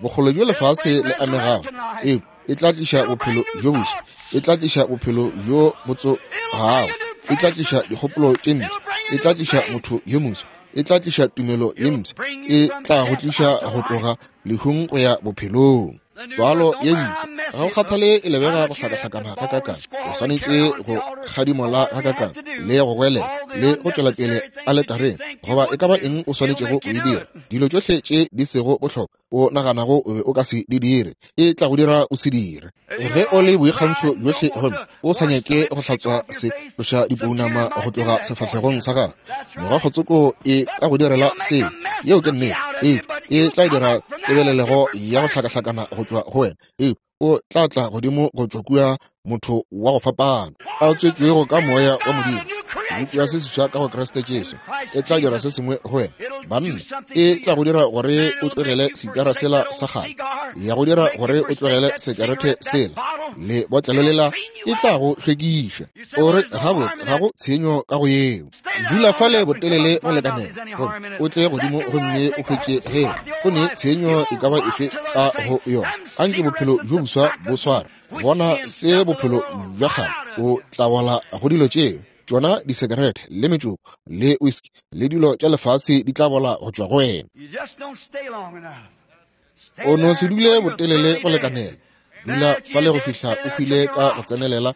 Bokgole bjo lefase le amegago, e e tla tliša bophelo bjo boswa, e tla tliša bophelo bjo bo tsogago, e tla tliša dikgopolo tše mpsha, e tla tliša motho yo moswa, e tla tliša tumelo ye mpsha, e tla go tliša go tloga lehung go ya bophelong. Tswalo ye mpsha, ga go kgathale e lebega go hlakahlakana gakakang, o swanetše go kgadimola gakakang, le go goelela, le go tšwela pele aletareng, goba e ka ba eng o swanetšego go e dira. Dilo tšohle tše di sego bohlokwa o naganago o be o ka se di dire, e tla go dira o se dire. Ge o le boikgantšho bjohle gomme o sa nyake go hlatswa se tloša dipounama go tloga sefahlegong sa gago, megokgotsoko e ka go direla seo. Yeo ke nnete. Eupša e tla dira tebelelego ya go hlakahlakana go tšwa go wena. Eupša o tla tla godimo go tšwa kua motho wa go fapana, a tswetšwego ka moya wa Modimo, sebopiwa se seswa ka go Kriste Jesu. E tla dira se sengwe go wena, banna. E tla go dira gore o tlogele sikara sela sa kgale, ya go dira gore o tlogele sekerete sela le botlelo lela, e tla go hlwekiša. O re, gabotse, ga go tshenyo ka go yeo. Dula fale botelele go lekanela gomme o tle godimo gomme o hwetše ge go ne tshenyo e ka ba efe ka go yona. Anke bophelo bjo boswa bo sware. Bona se bophelo bja kgale, o tla bola go dilo tšeo. Tšona disekerete le metšoko le whisky le dilo tša lefase di tla bola go tšwa go wena. O no se dule botelele go lekanela. Dula fale go fihla o hwile ka go tsenelela.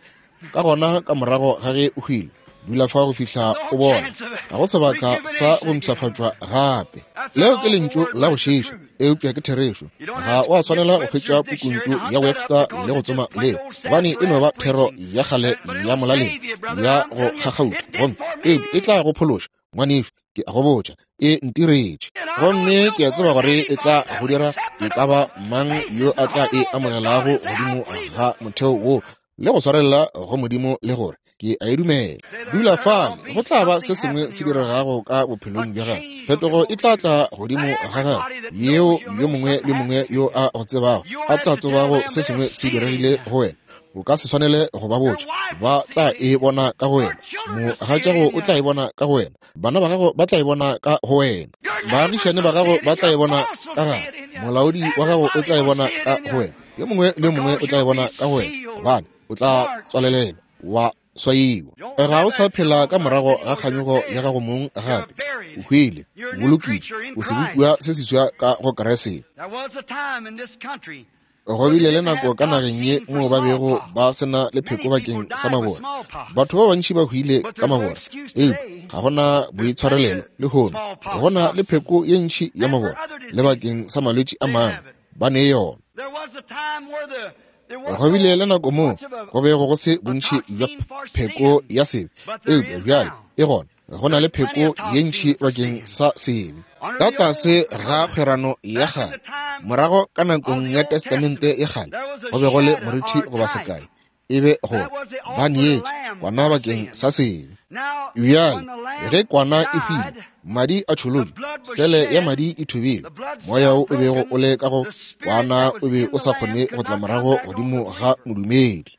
Ka gona ka morago ga ge o hwile, dula fa go fihla o bona ga go sebaka sa go mpshafatšwa gape. Leo ke lentšu la go šiiša, eupša ke therešo. Ga o a swanela go hwetša pukuntšu ya Webster le go tsoma leo, gobane e no ba thero ya kgale ya molaleng ya go kgakgauta, gomme eupša e tla go phološa. Ngwanešu, ke a go botša, e ntiretše, gomme ke a tseba gore e tla go dira e ka ba mang yo a tla e amogelago godimo ga motheo wo le go swarelela go Modimo le gore ke a e dumela. Dula fale, go tla ba se sengwe se diregago ka bophelong bja gago. Phetogo e tla tla godimo ga gago, yeo yo mongwe le mongwe yo a go tsebago a tla tsebago se sengwe se diregile go wena. O ka se swanele go ba botša, ba tla e bona ka go wena. Mogatšago o tla e bona ka go wena. Bana ba gago ba tla e bona ka go wena. Baagišane ba gago ba tla e bona ka gare. Molaodi wa gago o tla e bona ka go wena. Yo mongwe le yo mongwe o tla e bona ka go wena, gobane o tla tswalelela wa swaiwa. Ga o sa phela ka morago ga kganyogo ya gago mong gape. O hwile, o bolokile, o sebopiwa se seswa ka go Kriste. Go bile le nako ka nageng ye moo ba bego ba se na le pheko bakeng sa mabora. Batho ba bantši ba hwile ka mabora, eupša ga go na boitshwarelelo lehono. Go na le pheko ye ntši ya mabora le bakeng sa malwetši a mangwe, ba ne yona. Go bile le nako moo go bego go se bontši bja pheko ya sebe, eupša bjale e gona. Go na le pheko ye ntši bakeng sa sebe. Ka tlase ga kgwerano ya kgale, morago ka nakong ya Testamente ya kgale, go be go le morithi goba sekai, e be gore ba neetše kwana bakeng sa sebe. Bjale ge kwana e hwile, madi a tšholotšwe, sele ya madi e thubile, moya wo o bego o le ka go kwana o be o sa kgone go tla morago godimo ga modumedi.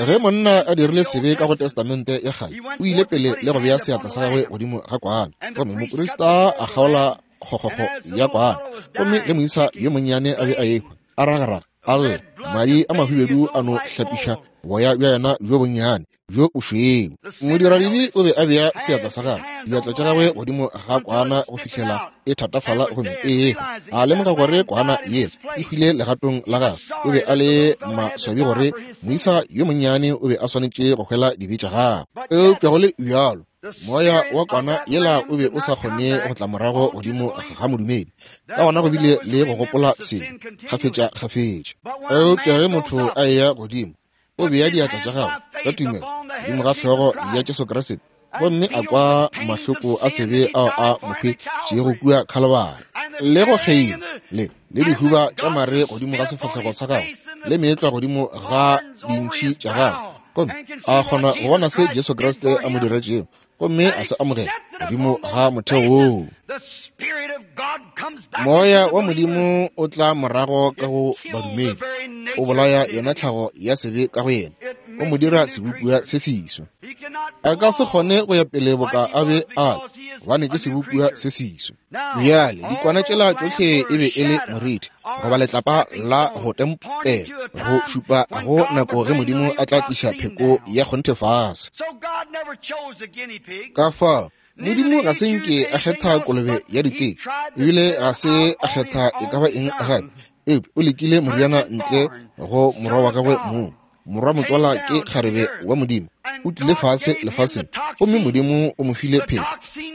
Ge monna a dirile sebe ka go Testamente ya kgale, o ile pele le go bea seatla sa gagwe godimo ga kwana, gomme moprista a kgaola kgokgokgo ya kwana. Gomme ge moisa yo monnyane a be a ehwa, a ragaraga, a lla, madi a mahubedu a no hlapiša boya bja yena bjo bonnyane bjo bošweu. Modiradibe o be a bea seatla sa gagwe, diatla tša gagwe godimo ga kwana go fihlela e thatafala gomme e ehwa. A lemoga gore kwana yela e hwile legatong la gagwe. O be a le maswabi gore moisa yo monnyane o be a swanetše go hwela dibe tša gagwe. Eupša go le bjalo, moya wa kwana yela o be o sa kgone go tla morago godimo ga modumedi. Ka gona go bile le go gopola sebe kgafetša-kgafetša. Eupša ge motho a eya godimo, o bea diatla tša gagwe ka tumelo godimo ga hlogo ya Jesu Kriste, gomme a kwa mahloko a sebe ao a mo hwetšego kua Khalibari, le go kgeila le le dihuba tša mare godimo ga sefahlego sa gagwe, le meetlwa godimo ga dintšhi tša gagwe, gomme a kgona go bona se Jesu Kriste a mo diretšego, gomme a se amogela godimo ga motheo woo. Moya wa Modimo o tla morago ka go badumedi, o bolaya yona tlhago ya sebe ka go yena, o mo dira sebopiwa se seswa. A ka se kgone go ya pele boka a be a le, gobane ke sebopiwa se seswa. Bjale dikwana tšela tšohle e be e le morithi goba letlapa la go tempela, go šupa go nako ge Modimo a tla tliša pheko ya kgonthe fase. Ka fao Modimo ga se nke a kgetha kolobe ya diteko, ebile ga se a kgetha e ka ba eng gape, eupša o lekile moriana ntle go morwa wa gagwe mong. Morwa motswala ke kgarebe wa Modimo, o tlile fase lefaseng, gomme Modimo o mo file pheko,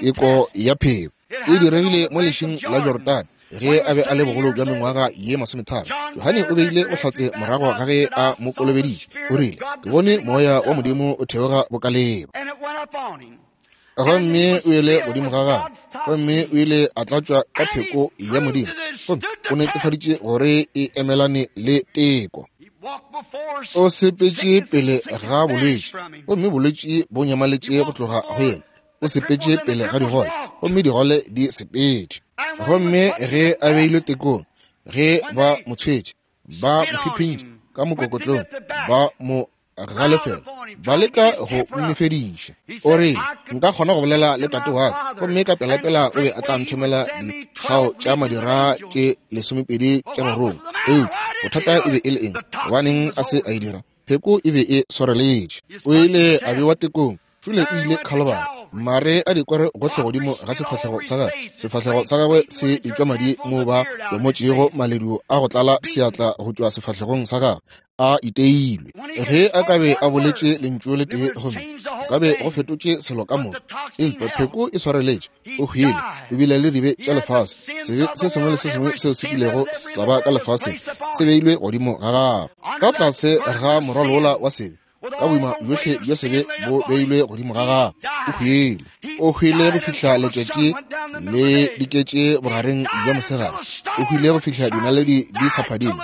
teko ya pheko. E diregile mo lešing la Jordane ge a be a le bogolo bja mengwaga ye masometharo. Johane o beile bohlatse morago ga ge a mo kolobeditše, o rile, ke bone moya wa Modimo o theoga bokaleba. Gomme o ile godimo ga gagwe, gomme o ile a tlatšwa ka pheko ya Modimo, gomme o netefaditše gore e emelane le teko. O sepetše pele ga bolwetši, gomme bolwetši bo nyamaletše go tloga go yena. O sepetše pele ga digole, gomme digole di sepetše. Gomme ge a beilwe tekong, ge ba mo tshwetše, ba mo fiphintše ka mokokotlong, ba mo galefela, ba leka go mmefediša. O rile, nka kgona go bolela le tate wa ka, gomme ka pelapela o be a tla nthomela dikgao tša madira tše lesomepedi tša barongwa. Eupša bothata e be e le eng? Gobaneng a se a e dira? Pheko e be e swareletše. O ile a bewa tekong. Šule o ile Khalibari, mare a dikwere gohle godimo ga sefahlego sa gagwe. Sefahlego sa gagwe se etšwa madi moo ba lomotšego maledu a go tlala seatla go tšwa sefahlegong sa gagwe, a iteilwe. Ge a ka be a boletše lentšu le tee gomme ka be go fetotše selo ka moka. Eupša pheko e swareletše. O hwile, o bile le dibe tša lefase. Sebe se sengwe le se sengwe seo se kilego sa ba ka lefaseng se beilwe godimo ga gagwe. Ka tlase ga morwalo wa sebe, ka boima bjohle bja sebe bo beilwe godimo ga gagwe. O hwile, o hwile go fihla letšatši le diketše bogareng bja mosegare. O hwile go fihla dinaledi di sa phadime.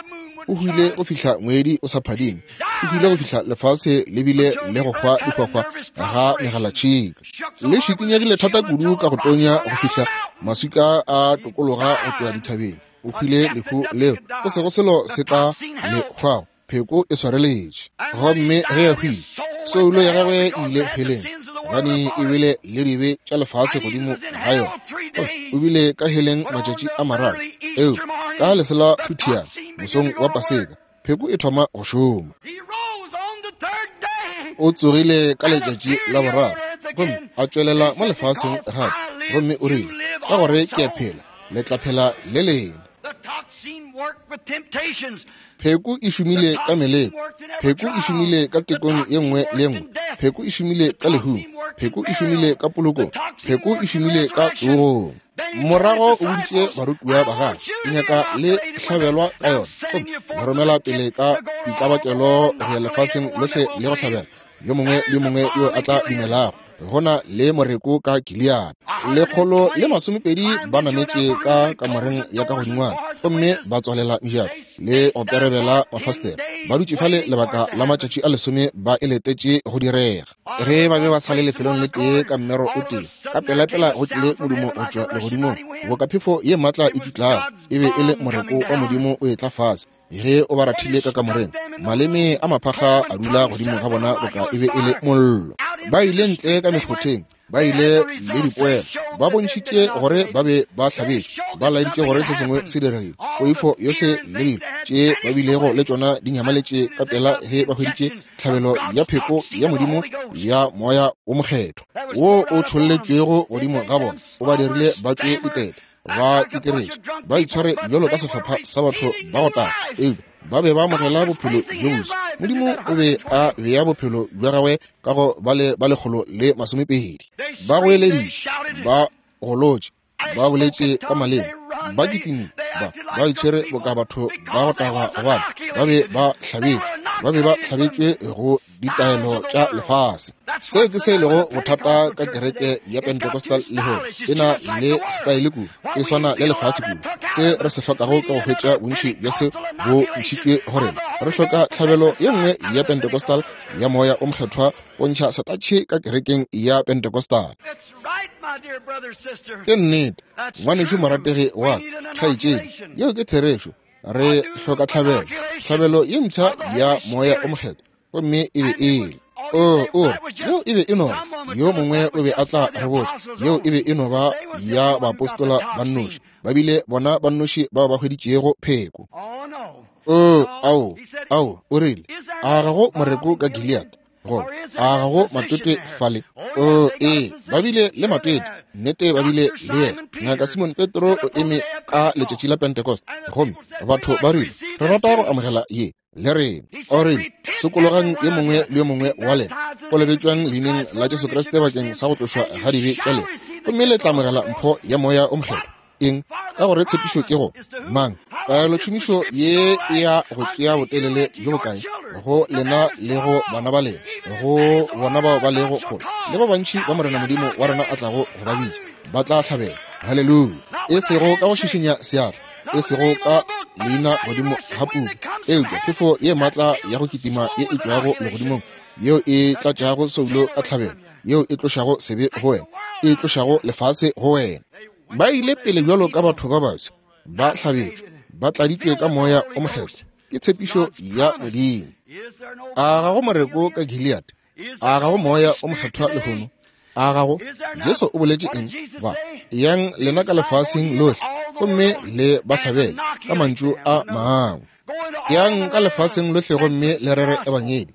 O hwile go fihla ngwedi o sa phadime. O hwile go fihla lefase le bile le go hwa dihwahwa ga megalatšhika. Le šikinyegile thata kudu ka go tonya go fihla maswika a tokologa go tšwa dithabeng. O hwile lehu leo go sego selo se ka le hwago. Pheko e swareletše. Gomme ge a hwile, soulo ya gagwe e ile heleng, gobane e bile le dibe tša lefase godimo ga yona. O bile ka heleng matšatši a mararo. Eupša ka lesela phuthiana mosong wa Paseka, pheko e thoma go šoma. O tsogile ka letšatši la boraro gomme a tšwelela mo lefaseng gape, gomme o rile, ka gore ke a phela, le tla phela le lena. Pheko e šomile ka meleko, pheko e šomile ka tekong ye nngwe le ye nngwe, pheko e šomile ka lehung, pheko e šomile ka polokong, pheko e šomile ka tsogong. Morago o boditše barutiwa ba gagwe, ke nyaka le hlabelwa ka yona, gomme le romela pele ka ditlabakelo go ya lefaseng lohle le go hlabela yo mongwe le yo mongwe yo a tla dumelago. Gona le moreko ka Gilead. Lekgolo le masomepedi ba nametše ka kamoreng ya ka godingwana, gomme ba tswalela mejako le go perebela mafastere. Ba dutše fale lebaka la matšatši a lesome ba e letetše go direga. Ge ba be ba sa le lefelong le tee ka mmero o tee, ka pelapela go tlile modumo go tšwa legodimong, boka phefo ye maatla e tšutlago. E be e le moreko wa Modimo o etla fase. Ge o ba rathile ka kamoreng, maleme a maphakga a dula godimo ga bona boka e be e le mollo. Ba ile ntle ka mekgotheng, ba ile le dipoelo, ba bontšhitše gore ba be ba hlabetše, ba laeditše gore se sengwe se diregile. Poifo yohle le dilo tše ba bilego le tšona di nyamaletše ka pela ge ba hweditše tlhabelo ya pheko ya Modimo ya Moya wo Mokgethwa wo o tšholletšwego godimo ga bona. O ba dirile ba tšwe ditete, ba ikeretše, ba itshware bjalo ka sehlopha sa batho ba go taga, eupša ba be ba amogela bophelo bjo boswa. Modimo o be a bea bophelo bja gagwe ka go ba le ba lekgolo le masomepedi. Ba goeleditše, ba golotše, ba boletše ka maleme, ba kitimile, ba ba itshwere boka batho ba go taga, gobane ba be ba hlabetšwe, ba be ba hlabetšwe go ditaelo tša lefase. Seo ke se e lego bothata ka kereke ya Pentecostal lehono. E na le setaele kudu, e swana le lefase kudu. Se re se hlokago ka go hwetša bontši bja se bo ntšhitšwe go rena. Re hloka tlhabelo ye nngwe ya Pentecostal ya Moya o Mokgethwa go ntšha setatšhe ka kerekeng ya Pentecostal. Ke nnete, ngwanešu morategi wa kgaetšedi, yeo ke therešo. Re hloka tlhabelo, tlhabelo ye mpsha ya Moya o Mokgethwa, gomme e be e le o o yeo e be e no ba yo mongwe o be a tla re botša, yeo e be e no ba ya baapostola ba nnoši, ba bile bona ba nnoši bao ba hweditšego pheko. O ao ao o rile, a ga go moreko ka Gilead? Go a ga go matwetwe fale? O ee, ba bile le matwetwe, nnete ba bile le yena. Ngaka Simon Petro o eme ka letšatši la Pentecost, gomme batho ba rile, re rata go amogela ye le rena. O rile, sokologang yo mongwe le yo mongwe wa lena, kolobetšwang leineng la Jesu Kriste bakeng sa go tlošwa ga dibe tša lena, gomme le tla amogela mpho ya Moya o Mokgethwa. Eng? Ka gore tshepišo ke go mang? Taelotšhomišo ye e ya go tšea botelele bjo bokae go lena le go bana ba lena, go bona bao ba lego kgole le ba bantši ba Morena Modimo wa rena a tlago go ba bitša, ba tla hlabela. Haleluya! E sego ka go šišinya seatla, e sego ka leina godimo ga puku, eupša phefo ye maatla ya go kitima ye e tšwago legodimong, yeo e tlatšago soulo ka tlhabelo, yeo e tlošago sebe go wena, e tlošago lefase go wena. Ba ile pele bjalo ka batho ba baswa, ba hlabetšwe, ba tladitšwe ka Moya o Mokgethwa. Ke tshepišo ya Modimo. A ga go moreko ka Gilead? A ga go Moya o Mokgethwa lehono? A ga go? Jesu o boletše eng? Ba yang lena ka lefaseng lohle, gomme le ba hlabele ka mantšu a mangwe. Yang ka lefaseng lohle gomme le rere ebangedi.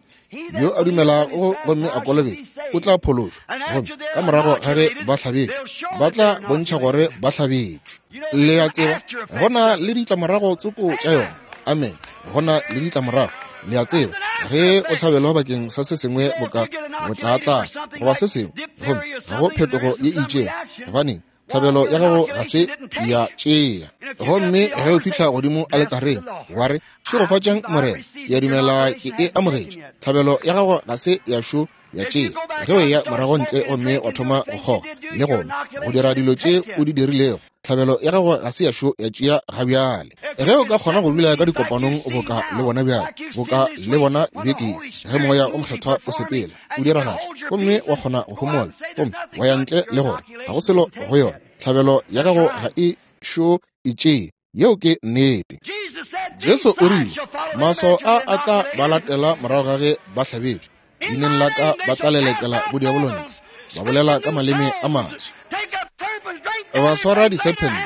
Yo a dumelago gomme a kolobetšwa o tla phološwa, gomme ka morago ga ge ba hlabetšwe, ba tla bontšha gore ba hlabetšwe. Le a tseba, go na le ditlamorago tsoko tša yona. Amen. Go na le ditlamorago. Le a tseba, ge o hlabelwa bakeng sa se sengwe boka botlaatla goba se sengwe, gomme ga go phetogo ye e itšego, gobaneng tlhabelo ya gago ga se ya tšea. Gomme ge o fihla godimo aletareng wa re, šegofatšang Morena, ke a dumela ke e amogetše, tlhabelo ya gago ga se ya šo ya tšea. Ge o eya morago ntle gomme wa thoma go kgoga le gona go dira dilo tše o di dirilego, tlhabelo ya gago ga se ya šo ya tšea ga bjale. Ge o ka kgona go dula ka dikopanong boka le bona bjale, boka le bona beke, ge Moya o Mokgethwa o sepela o diragatša, gomme wa kgona go homola gomme wa ya ntle le gore ga go selo go yona, tlhabelo ya gago ga e šo e tšee. Yeo ke nnete. Jesu o rile, maswao a a tla ba latela morago ga ge ba hlabetšwe. Leineng la ka ba tla lelekela bodiabolo ntle, ba bolela ka maleme a maswa. Ba swara disephente,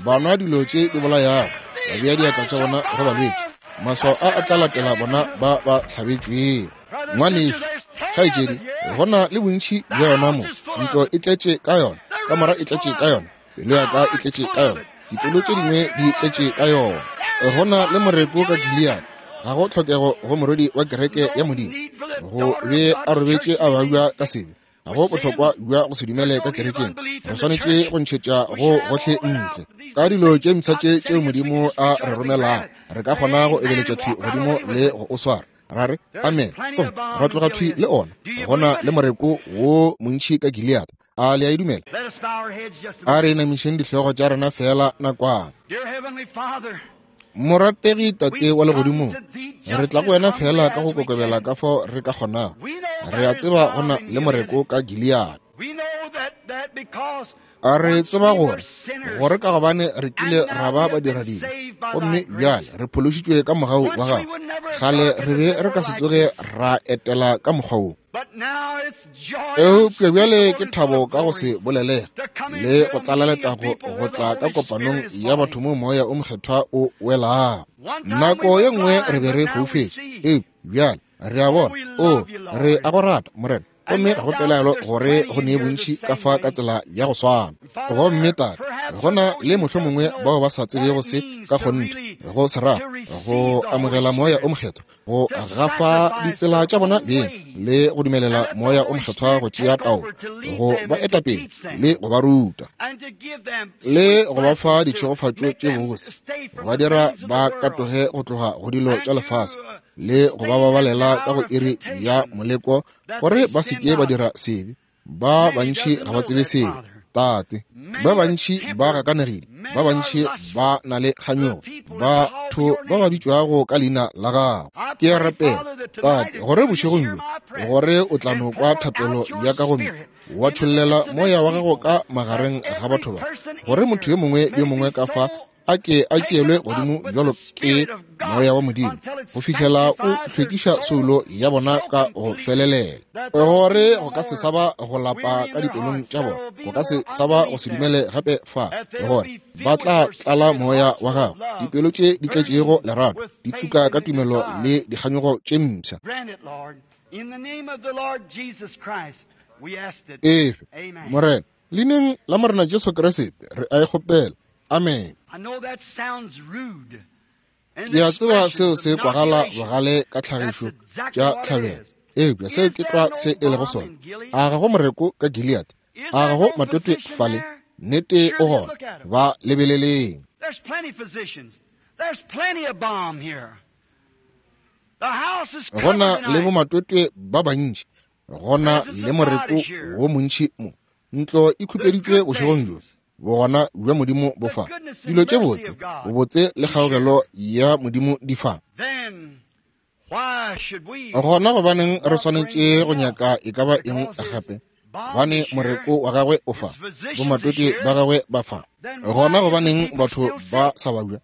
ba nwa dilo tše di bolayago, ba bea diatla tša bona go balwetši. Maswao a a tla latela bona ba ba hlabetšwego. Ngwanešu, kgaetšedi, go na le bontši bja yona mo. Ntlo e tletše ka yona, kamora e tletše ka yona, pelo ya ka e tletše ka yona, dipelo tše dingwe di tletše ka yona. Go na le moreko ka Gilead. Ga go tlhokego go morwedi wa kereke ya Modimo go be a robetše a babja ka sebe. Ga go bohlokwa bja go se dumele ka kerekeng. Re swanetše go ntšhetša go gohle ntle ka dilo tše mpsha tše tšeo Modimo a re romelago. Re ka kgona go ebeletša thwi godimo le go o swara, ra re amen, gomme ra tloga thwi le ona. Go na le moreko wo montši ka Gilead. A le a e dumela? A re inamišeng dihlogo tša rena fela nakwana. Morategi Tate wa legodimong, re tla go wena fela ka go kokobela ka fao re ka kgonago. Re a tseba go na le moreko ka Gilead. A re tseba gore gore ka gobane re kile ra ba badiradibe, gomme bjale re phološitšwe ka mogau wa gago. Kgale re be re ka se tsoge ra etela ka mokgwa wo, eupša bjale ke thabo ka go se bolelege le go tlala letago go tla ka kopanong ya batho mo moya o mokgethwa o welago. Nako ye nngwe re be re foufetše, eupša bjale re a bona. O re a go rata, Morena, gomme ga go pelaelo gore go ne bontši ka fa ka tsela ya go swana. Gomme Tate, go na le mohlomongwe bao ba sa tsebego se ka kgonthe, go se rata, go amogela moya o mokgethwa, go gafa ditsela tša bona beng le go dumelela moya o mokgethwa go tšea taolo, go ba eta pele le go ba ruta le go ba fa ditšhegofatšo tše bose, go ba dira ba katoge go tloga go dilo tša lefase le go ba babalela ka go iri ya moleko gore ba se ke ba dira sebe. Ba bantši ga ba tsebe sebe, Tate. Ba bantši ba gakanegile, ba bantši ba na le kganyogo, batho ba ba bitšwago ka leina la gago. Ke a rapela, Tate, gore bošegong bjo, gore o tla no kwa thapelo ya ka gomme wa tšhollela moya wa gago ka magareng ga batho ba, gore motho yo mongwe le yo mongwe ka fa a ke a tšeelwe godimo bjalo ke moya wa Modimo go fihlela o hlwekiša soulo ya bona ka go felelela, gore go ka se sa ba go lapa ka dipelong tša bona, go ka se sa ba go se dumele gape fa, gore ba tla tlala moya wa gago. Dipelo tše di tletšego lerato di tuka ka tumelo le dikganyogo tše mpsha. Efe, Morena, leineng la Morena Jesu Kriste re a e kgopela. Amen. Ke a tseba seo se kwagala bogale ka tlhagišo tša tlhabelo, eupša seo ke tlwa se e lego sona. A ga go moreko ka Gilead? A ga go matwetwe fale? Nnete o gona. Ba lebeleleng. Go na le bomatwetwe ba bantši, go na le moreko wo montši mo. Ntlo e khupeditšwe bošegong bjo. Bogona bja Modimo bo fa. Dilo tše botse, bobotse le kgaogelo ya Modimo di fa. Gona gobaneng re swanetše go nyaka e ka ba eng gape? Gobane moreko wa gagwe o fa, bomatwetwe ba gagwe ba fa. Gona gobaneng batho ba sa babja?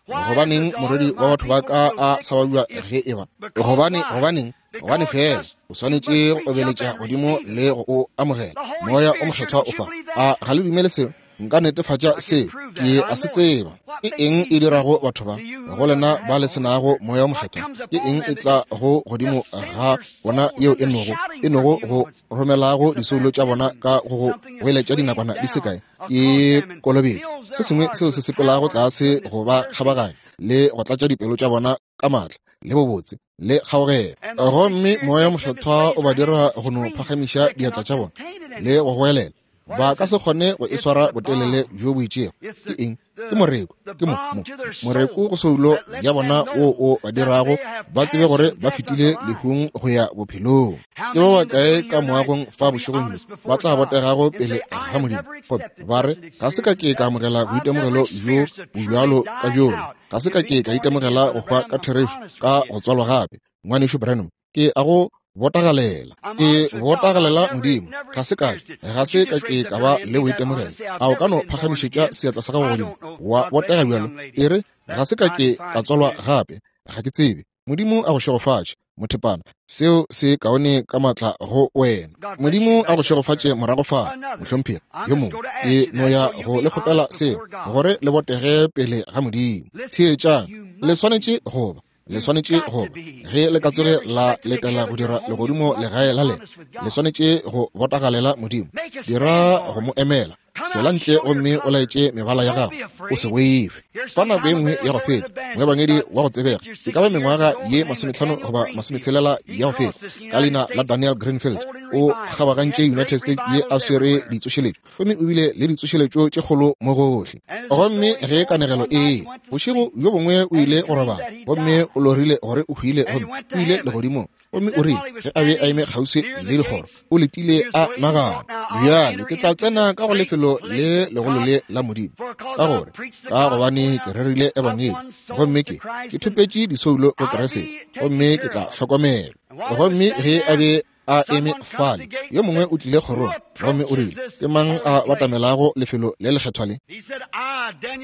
Gobaneng morwedi wa batho ba ka a sa babja ge e ba? Gobane, gobaneng? Gobane fela o swanetše go obeletša godimo le go o amogela. Moya o mokgethwa o fa. A ga le dumele seo? Nka netefatša seo, ke a se tseba. Ke eng e dirago batho ba go lena ba le senago moya o mokgethwa? Ke eng e tla go godimo ga bona yeo e nogo e nogo go romelago disoulo tša bona ka go go goeletša dinakwana di se kae? Ke kolobetšo, se sengwe seo se sepelago tlase go ba kgabaganya le go tlatša dipelo tša bona ka maatla le bobotse le kgaogelo. Gomme moya mokgethwa o ba dira go no phagamiša diatla tša bona le go goelela. Ba ka se kgone go e swara botelele bjo bo itšego. Ke eng? Ke moreko. Ke mo, mo moreko go soulo ya bona wo o ba dirago ba tsebe gore ba fetile lehung go ya bophelong. Ke ba bakae ka moagong fa bošegong bjo ba tla botegago pele ga Modimo gomme ba re, ga se ka ke ka amogela boitemogelo bjo bobjalo ka bjola, ga se ka ke ka itemogela go hwa ka therešo ka go tswalwa gape. Ngwanešu Branham, ke a go Botagalela. Ke botagalela Modimo. Ga se ka, ga se ka ke ka ba le boitemogelo. A o ka no phagamišetša seatla sa gago godimo wa botega bjalo? E re, ga se ka ke ka tswalwa gape, ga ke tsebe. Modimo a go šegofatše, mothepana. Seo se kaone ka matla go wena. Modimo a go šegofatše morago fa, mohlomphegi yo mongwe. Ke no ya go le kgopela seo, gore le botege pele ga Modimo. Theetšang, le swanetše go ba, le swanetše go ba, ge le ka tsoge la letela go dira legodimo legae la lena, le swanetše go botagalela Modimo. Dira go mo emela. Tšwela ntle gomme o laetše mebala ya gago, o se boife. Fa nako e nngwe ya go feta, moebangedi wa go tsebega, e ka ba mengwaga ye masometlhano goba masometshelela ya go feta, ka leina la Daniel Greenfield, o kgabagantše United States ye a swere ditsošeletšo, gomme o bile le ditsošeletšo tše kgolo mo gohle. Gomme ge kanegelo e, bošego bjo bongwe o ile go robala, gomme o lorile gore o hwile, gomme o ile legodimong. Gomme o rile ge a be a eme kgauswi le dikgoro, o letile a nagana, bjale ke tla tsena ka go lefelo le legolo le la Modimo, ka gore ka gobane ke rerile ebangedi, gomme ke ke thopetše disoulo go Kriste, gomme ke tla hlokomela. Gomme ge a be a eme fale, yo mongwe o tlile kgorong, gomme o rile, ke mang a batamelago lefelo le lekgethwa le?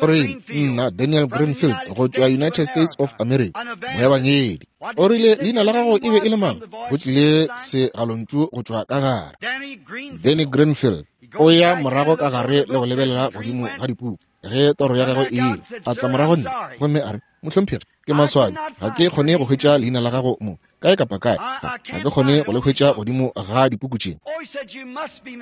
O rile, nna Daniel Greenfield go tšwa United States of America, moebangedi. O rile, leina la gago e be e le mang? Go tlile segalontšu go tšwa ka gare. Danny Greenfield. O ya morago ka gare le go lebelela godimo ga dipuku ge toro ya gagwe e ile. A tla morago nne, gomme a re, mohlomphegi, ke maswabi, ga ke kgone go hwetša leina la gago mo kae kapa kae, ga ke kgone go le hwetša godimo ga dipuku tše.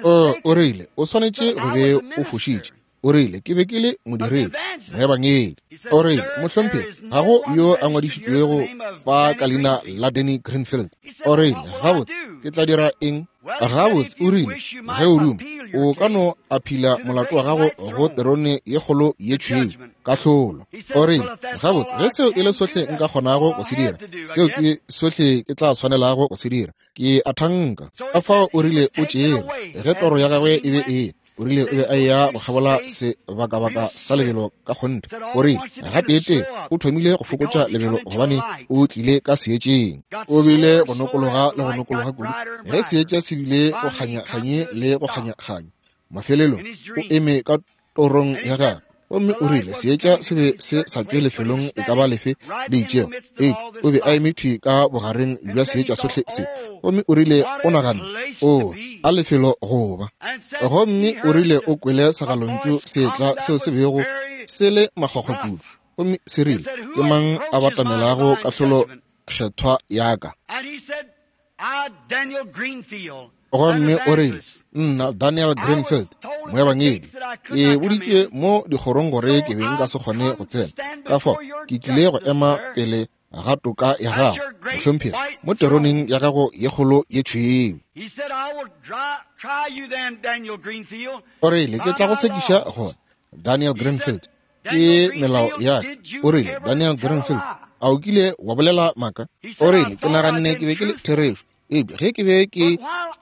O, o rile, o swanetše go be o fošitše. O rile, ke be ke le modiredi, moebangedi. O rile, mohlomphegi, ga go yo a ngwadišitšwego fa ka leina la Danny Greenfield. O rile, gabotse, ke tla dira eng? Gabotse, o rile, ge o duma, o ka no aphila molato wa gago go terone ye kgolo ye tšhweu, kahlolo. O rile, gabotse, ge seo e le sohle nka kgonago go se dira, seo ke sohle ke tla tshwanelago go se dira, ke a thanka. Ka fao o rile o tšere, ge toro ya gagwe e be e, o rile o be a ya go kgabola sebakabaka sa lebelo ka kgonthe. O rile gateetee o thomile go fokotša lebelo gobane o tlile ka seetšeng. O bile go nokologa le go nokologa kudu ge seetša se bile go kganya-kganye le go kganya-kganye. Mafelelong o eme ka torong ya gagwe, gomme o rile seetša se be se sa tšwe lefelong e ka ba lefe le itšego, eupša o be a eme thwi ka bogareng bja seetša sohle se. Gomme o rile o naganne, o a lefelo go ba. Gomme o rile o kwele segalontšu se etla seo se bego se le makgwakgwa kudu, gomme se rile, ke mang a batamelago kahlolo kgethwa ya ka? Gomme o rile, nna Daniel Greenfield, moebangedi, ke boditšwe mo dikgorong gore ke be nka se kgone go tsena, ka fao ke tlile go ema pele ga toka ya gago, mohlomphegi, mo teroneng ya gago ye kgolo ye tšhweu. O rile, ke tla go sekiša gona, Daniel Greenfield, ke melao ya ka. O rile, Daniel Greenfield, a o kile wa bolela maaka? O rile, ke naganne ke be ke le therešo, eupša ge ke be ke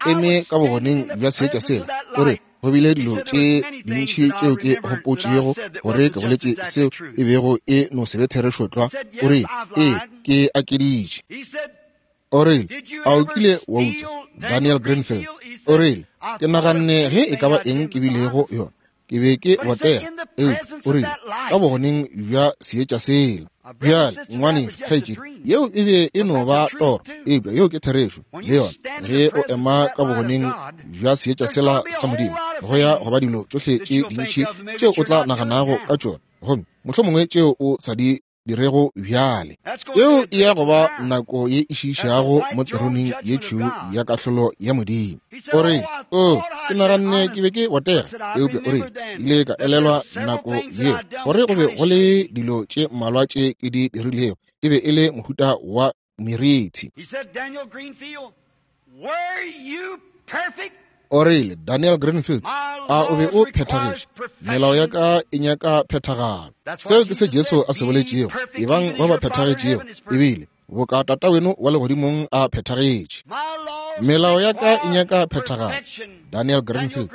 eme ka bogoneng bja seetša sela, o re go bile dilo tše dintši tšeo ke gopotšego gore ke boletše seo e bego e no se be therešo tlwa. O rile, ee, ke akeditše. O rile, a o kile wa utswa, Daniel Greenfield? O rile, ke naganne ge e ka ba eng ke bilego yona, ke be ke botega, eupša o rile, ka bogoneng bja seetša sela. Bjale, ngwanešu, kgaetšedi, yeo e be e no ba toro, eupša yeo ke therešo le yona. Ge o ema ka bogoneng bja seetša sela sa Modimo, go ya go ba dilo tšohle tše dintši tšeo o tla naganago ka tšona, gomme mohlomongwe tšeo o sa di dirego bjale. Yeo e ya go ba nako ye e šiišago mo teroneng ye tšhweu ya kahlolo ya Modimo. O rile, o, ke naganne ke be ke botega, eupša o rile, ile ka elelwa nako yeo gore go be go le dilo tše mmalwa tše ke di dirilego, e be e le mohuta wa merithi. O rile, Daniel Greenfield, a o be o phethagetše? Melao ya ka e nyaka phethagalo. Seo ke se Jesu a se boletšego, ebang ba ba phethagetšego, ebile boka Tata weno wa legodimong a phethagetše. Melao ya ka e nyaka phethagalo. Daniel Greenfield,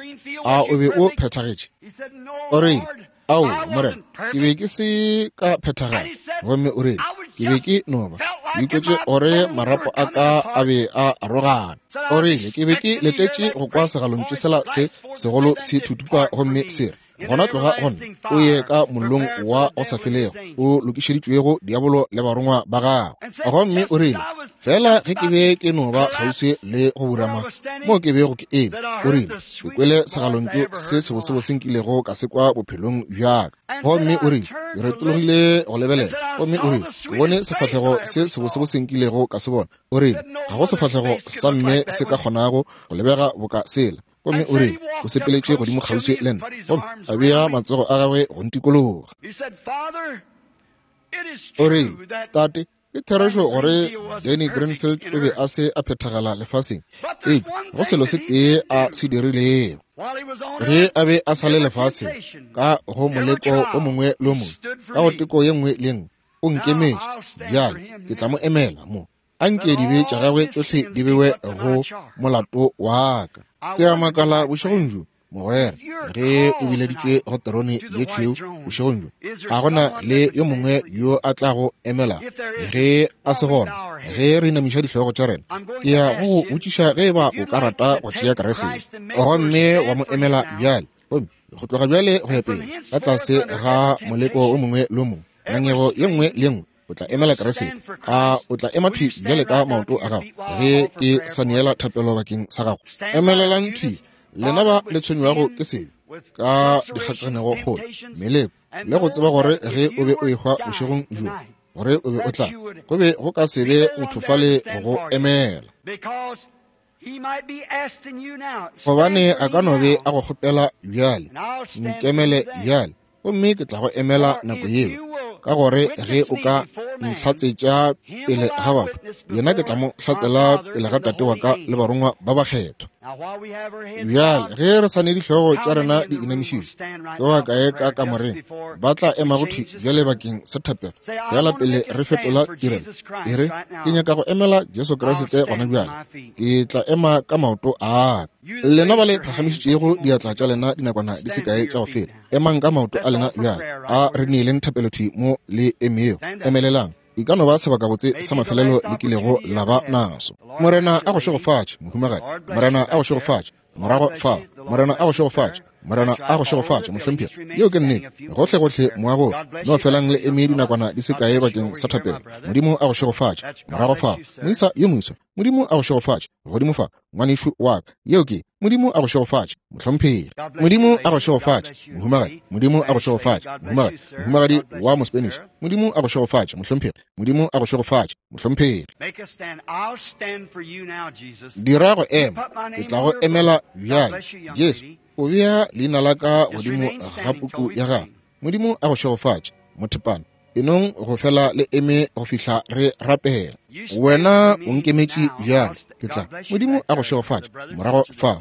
a o be o phethagetše? O rile, ao, Morena, ke be ke se ka phethagala. Gomme o rile, Ke be ke no ba ke ikwetše gore marapo a ka a be a arogana. O rile, ke be ke letetše go kwa segalontšu sela se segolo se thuthupa gomme se re, gona tloga gona o ye ka mollong wa go sa felego o lokišeditšwego diabolo le barongwa ba gagwe. Gomme o rile, fela ge ke be ke no ba kgauswi le go burama mo ke bego ke eme, o rile, ke kwele segalontšu se sebosebose nkilego ka se kwa bophelong bjaka. Gomme o rile, ke retologile go lebelela, gomme o rile, ke bone sefahlego se sebosebose nkilego ka se bona. O rile, ga go sefahlego sa mme se ka kgonago go lebega boka sela. Gomme o rile, o sepeletše godimo kgauswi le nna, gomme a bea matsogo a gagwe go ntikologa. O rile, Tate, ke therešo gore Danny Greenfield o be a se a phethagala lefaseng, eupša go selo se tee a se dirilego. Ge a be a sa le lefaseng, ka go moleko o mongwe le o mongwe, ka go teko ye nngwe le nngwe, o nkemetše. Bjale ke tla mo emela mo. Anke dibe tša gagwe tšohle di bewe go molato wa ka. Ke a makala bošegong bjo, mogwera, ge o bileditšwe go terone ye tšhweu bošegong bjo, ga gona le yo mongwe yo a tlago emela. Ge a se gona, ge re inamiša dihlogo tša rena, ke ya go go botšiša ge eba o ka rata go tšea Kriste gomme wa mo emela bjale. Gomme go tloga bjale go ya pele, ka tlase ga moleko o mongwe le o mongwe, ngangego ye nngwe le ye nngwe, o tla emela Kriste. A o tla ema thwi bjale ka maoto a gago ge ke sa neela thapelo bakeng sa gago? Emelelang thwi, lena ba le tshwenywago ke sebe ka dikgakanego kgolo, meleko, le go tseba gore ge o be o ehwa bošegong bjo, gore o be o tla, go be go ka se be motho fale go emela. Gobane a ka no be a go kgopela bjale, nkemele bjale, gomme ke tla go emela nako yeo, ka gore ge o ka ntlhatsetša pele ga batho, yena ke tla mo hlatsela pele ga Tate wa ka le barongwa ba bakgethwa. Bjale ge re sa ne dihlogo tša rena di inamišitšwe, ke ba kae ka kamoreng ba tla emago thwi bjale bakeng sa thapelo fela pele re fetola tirelo? E re, ke nyaka go emela Jesu Kriste gona bjale, ke tla ema ka maoto a ka. Lena ba le phagamišitšego diatla tša lena dinakwana di se kae tša go feta, emang ka maoto a lena bjale. A re neeleng thapelo thwi mo le emego. Emelelang. E ka no ba sebakabotse sa mafelelo le kilego la ba naso. Morena a go šegofatše, mohumagadi. Morena a go šegofatše, morago fa. Morena a go šegofatše. Morena a go šegofatše, mohlomphegi. Yeo ke nnete. Gohle gohle moagong, no felang le eme dinakwana di se kae bakeng sa thapelo. Modimo a go šegofatše, morago fa. Moisa yo moswa, Modimo a go šegofatše, godimo fa, ngwanešu wa ka. Yeo ke, Modimo a go šegofatše, mohlomphegi. Modimo a go šegofatše, mohumagadi. Modimo a go šegofatše, mohumagadi. Mohumagadi wa Mospanish. Modimo a go šegofatše, mohlomphegi. Modimo a go šegofatše, mohlomphegi. Dira go ema, ke tla go emela bjale. Jesu, o bea leina la ka godimo ga puku ya gago. Modimo a go šegofatše, mothepana. Enong go fela le eme go fihla re rapela. Wena o nkemetše bjale, ke tla. Modimo a go šegofatše, morago fa,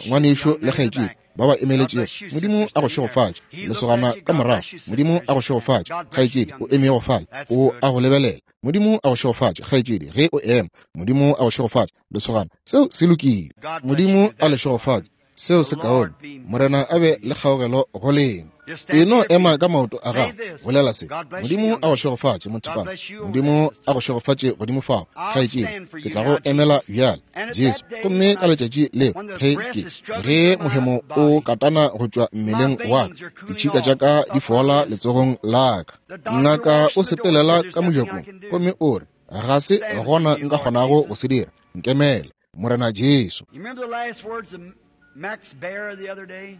ngwanešu le kgaetšedi ba ba emeletšego. Modimo a go šegofatše, lesogana ka morago. Modimo a go šegofatše, kgaetšedi o emego fale, o a go lebelela. Modimo a go šegofatše, kgaetšedi, ge o ema. Modimo a go šegofatše, lesogana. Seo se lokile. Modimo a le šegofatše. Seo se kaone. Morena a be le kgaogelo go lena. E no ema ka maoto a gago, bolela se. Modimo a go šegofatše, mothepana. Modimo a go šegofatše godimo fao, kgaetšedi. Ke tla go emela bjale, Jesu. Gomme ka letšatši leo, ge ke ge mohemo o katana go tšwa mmeleng wa ka, ditšhika tša ka di fola letsogong la ka. Ngaka o sepelela ka mojakong gomme o re, ga se gona nka kgonago go se dira. Nkemele, Morena Jesu. Max Baer the other day?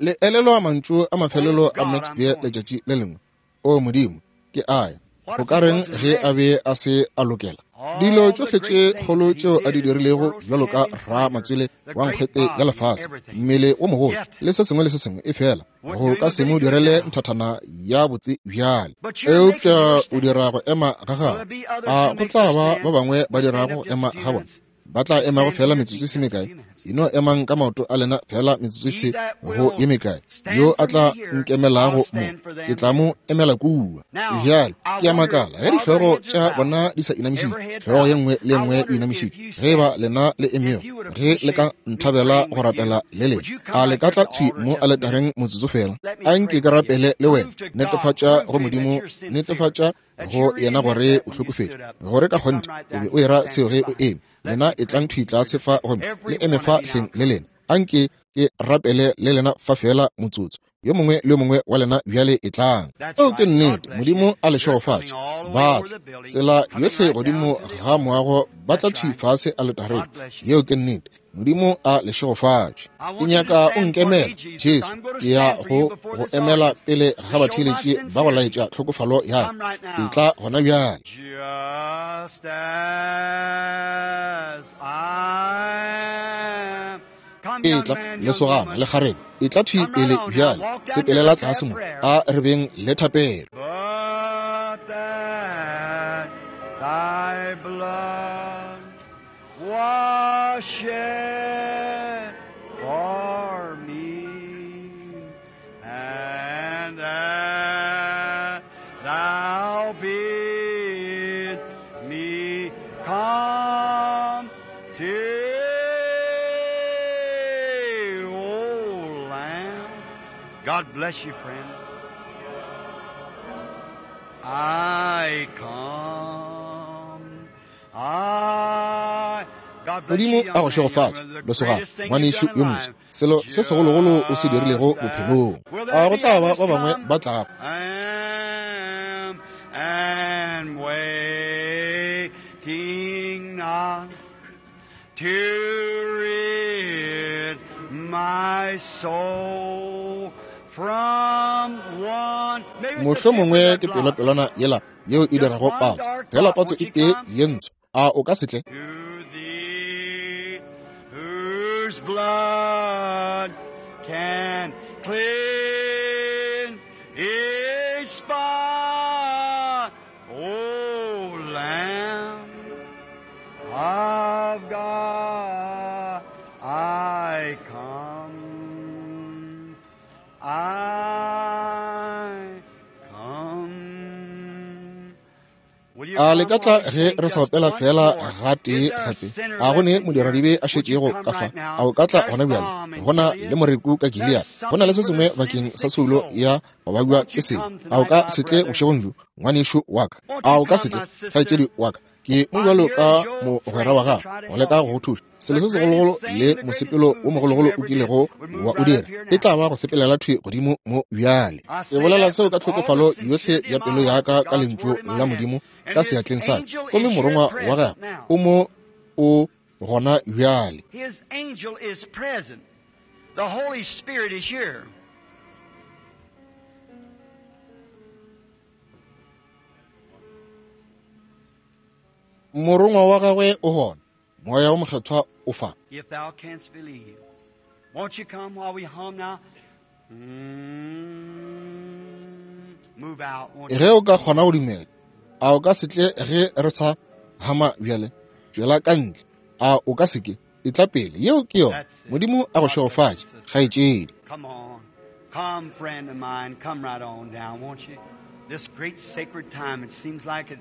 Le elelwa mantšu a mafelelo a Max Baer letšatši le lengwe? O Modimo, ke aya. Go ka reng ge a be a se a lokela? Dilo tšohle tše kgolo tšeo a di dirilego bjalo ka ramatswele wa nkgwete ya lefase, mmele wo mogolo le se sengwe le se sengwe, e fela go ka se mo direle nthathana ya botse bjale. Eupša o dira go ema ga gago. A go tla ba ba bangwe ba dirago go ema ga bona? ba tla emago fela metsotso e se mekae, e no emang ka maoto a lena fela metsotso e se go ye mekae. Yo a tla nkemelago mo, ke tla mo emela kua. Bjale ke a makala ge dihlogo tša bona di sa inamišitšwe, hlogo ye nngwe le ye nngwe e inamišitšwe, ge e ba lena le emego, ge le ka nthabela go rapela le lena, a le ka tla thwi mo aletareng motsotso fela? A nke ke rapele le wena. Netefatša go Modimo, netefatša go yena gore o hlokofetše, gore ka kgonthe o be o era seo ge o eme. Lena e tlang thwi tlase fa gomme le eme fa hleng le lena. A nke ke rapele le lena fa fela motsotso. Yo mongwe le yo mongwe wa lena bjale e tlang. Eo ke nnete. Modimo a le šegofatše. Ba tla tsela yohle godimo ga moago, ba tla thwi fase aletareng. Yeo ke nnete. Modimo a le šegofatše. Ke nyaka o nkemela, Jesu. Ke ya go go emela pele ga batheeletši ba go laetša tlhokofalo ya ka. E tla gona bjale. Just as I am. Come, E young tla man, young lesogana woman. le kgarebe, e tla thwi Come right pele on now. bjale. Walk down here. Sepelela Let's tlase have mo, prayer. a re beng le thapelo. But that thy blood was shed for me, and that thou bidst me come to thee, O Lamb. God bless you, friend. I come. I. God bless Modimo you, a go young man, young šegofatše, woman. The lesogana, greatest thing you've ngwanešu done in yo moswa. life. Selo se segologolo o se dirilego Just bophelong. that. Will A there go be tla ba others ba bangwe come? ba tlago? Am and waiting not to rid my soul from one. Maybe it's a Mohlomongwe temporary ke blot. pelopelwana yela yeo e Just dirago one patso, dark fela blot. patso Won't e you tee come? ye ntsho. A o ka se tle? To thee, whose blood can clean each spot, O Lamb of God, I come, I come. Will you A le come ka while tla we ge sing re sa just opela once fela more? gatee Is there a gape? sinner A go left ne in here? modiradibe a Would you šetšego come ka fa? right now? A o ka tla There's gona bjale? balm in Go na le Gilead. moreku ka Gilead. There's Go na le something se for the sengwe bakeng sa sin-sick soulo soul. ya go babja Won't ke you sebe. come A o tonight, ka my se tle brother? bošegong bjo, ngwanešu wa ka? Won't A you o ka se come, tle, my sister? kgaetšedi wa ka? Ke mo I'm bjalo here ka as your mogwera wa friend to gago try to go leka help go you. go thuša. Selo The se segologolo greatest thing, le the greatest mosepelo move wo that you mogologolo o ever did kilego would move wa o right up dira here e tla now. ba go sepelela thwi godimo mo bjale. I Ke say bolela that seo with ka all the tlhokofalo yohle sincerity ya of my pelo ya heart, ka with ka God's lentšu word in my la hand. Modimo And ka His seatleng sa ka. angel Gomme is here morongwa wa present gagwe now. o mo o gona bjale. His angel is present. The Holy Spirit is here. Morongwa wa gagwe o gona. Moya wo mokgethwa o fa. If thou canst believe. Won't you come while we hum now? Mm, move out, won't Ge you? o ka kgona go dumela, a o ka se tle ge re sa hama bjale? Tšwela ka ntle. A o ka se ke? E tla pele. Yeo ke yona. That's it. Modimo a go God bless you, šegofatše, sister. kgaetšedi. Come on. Come, friend of mine. Come right on down, won't you? This great sacred time, it seems like it,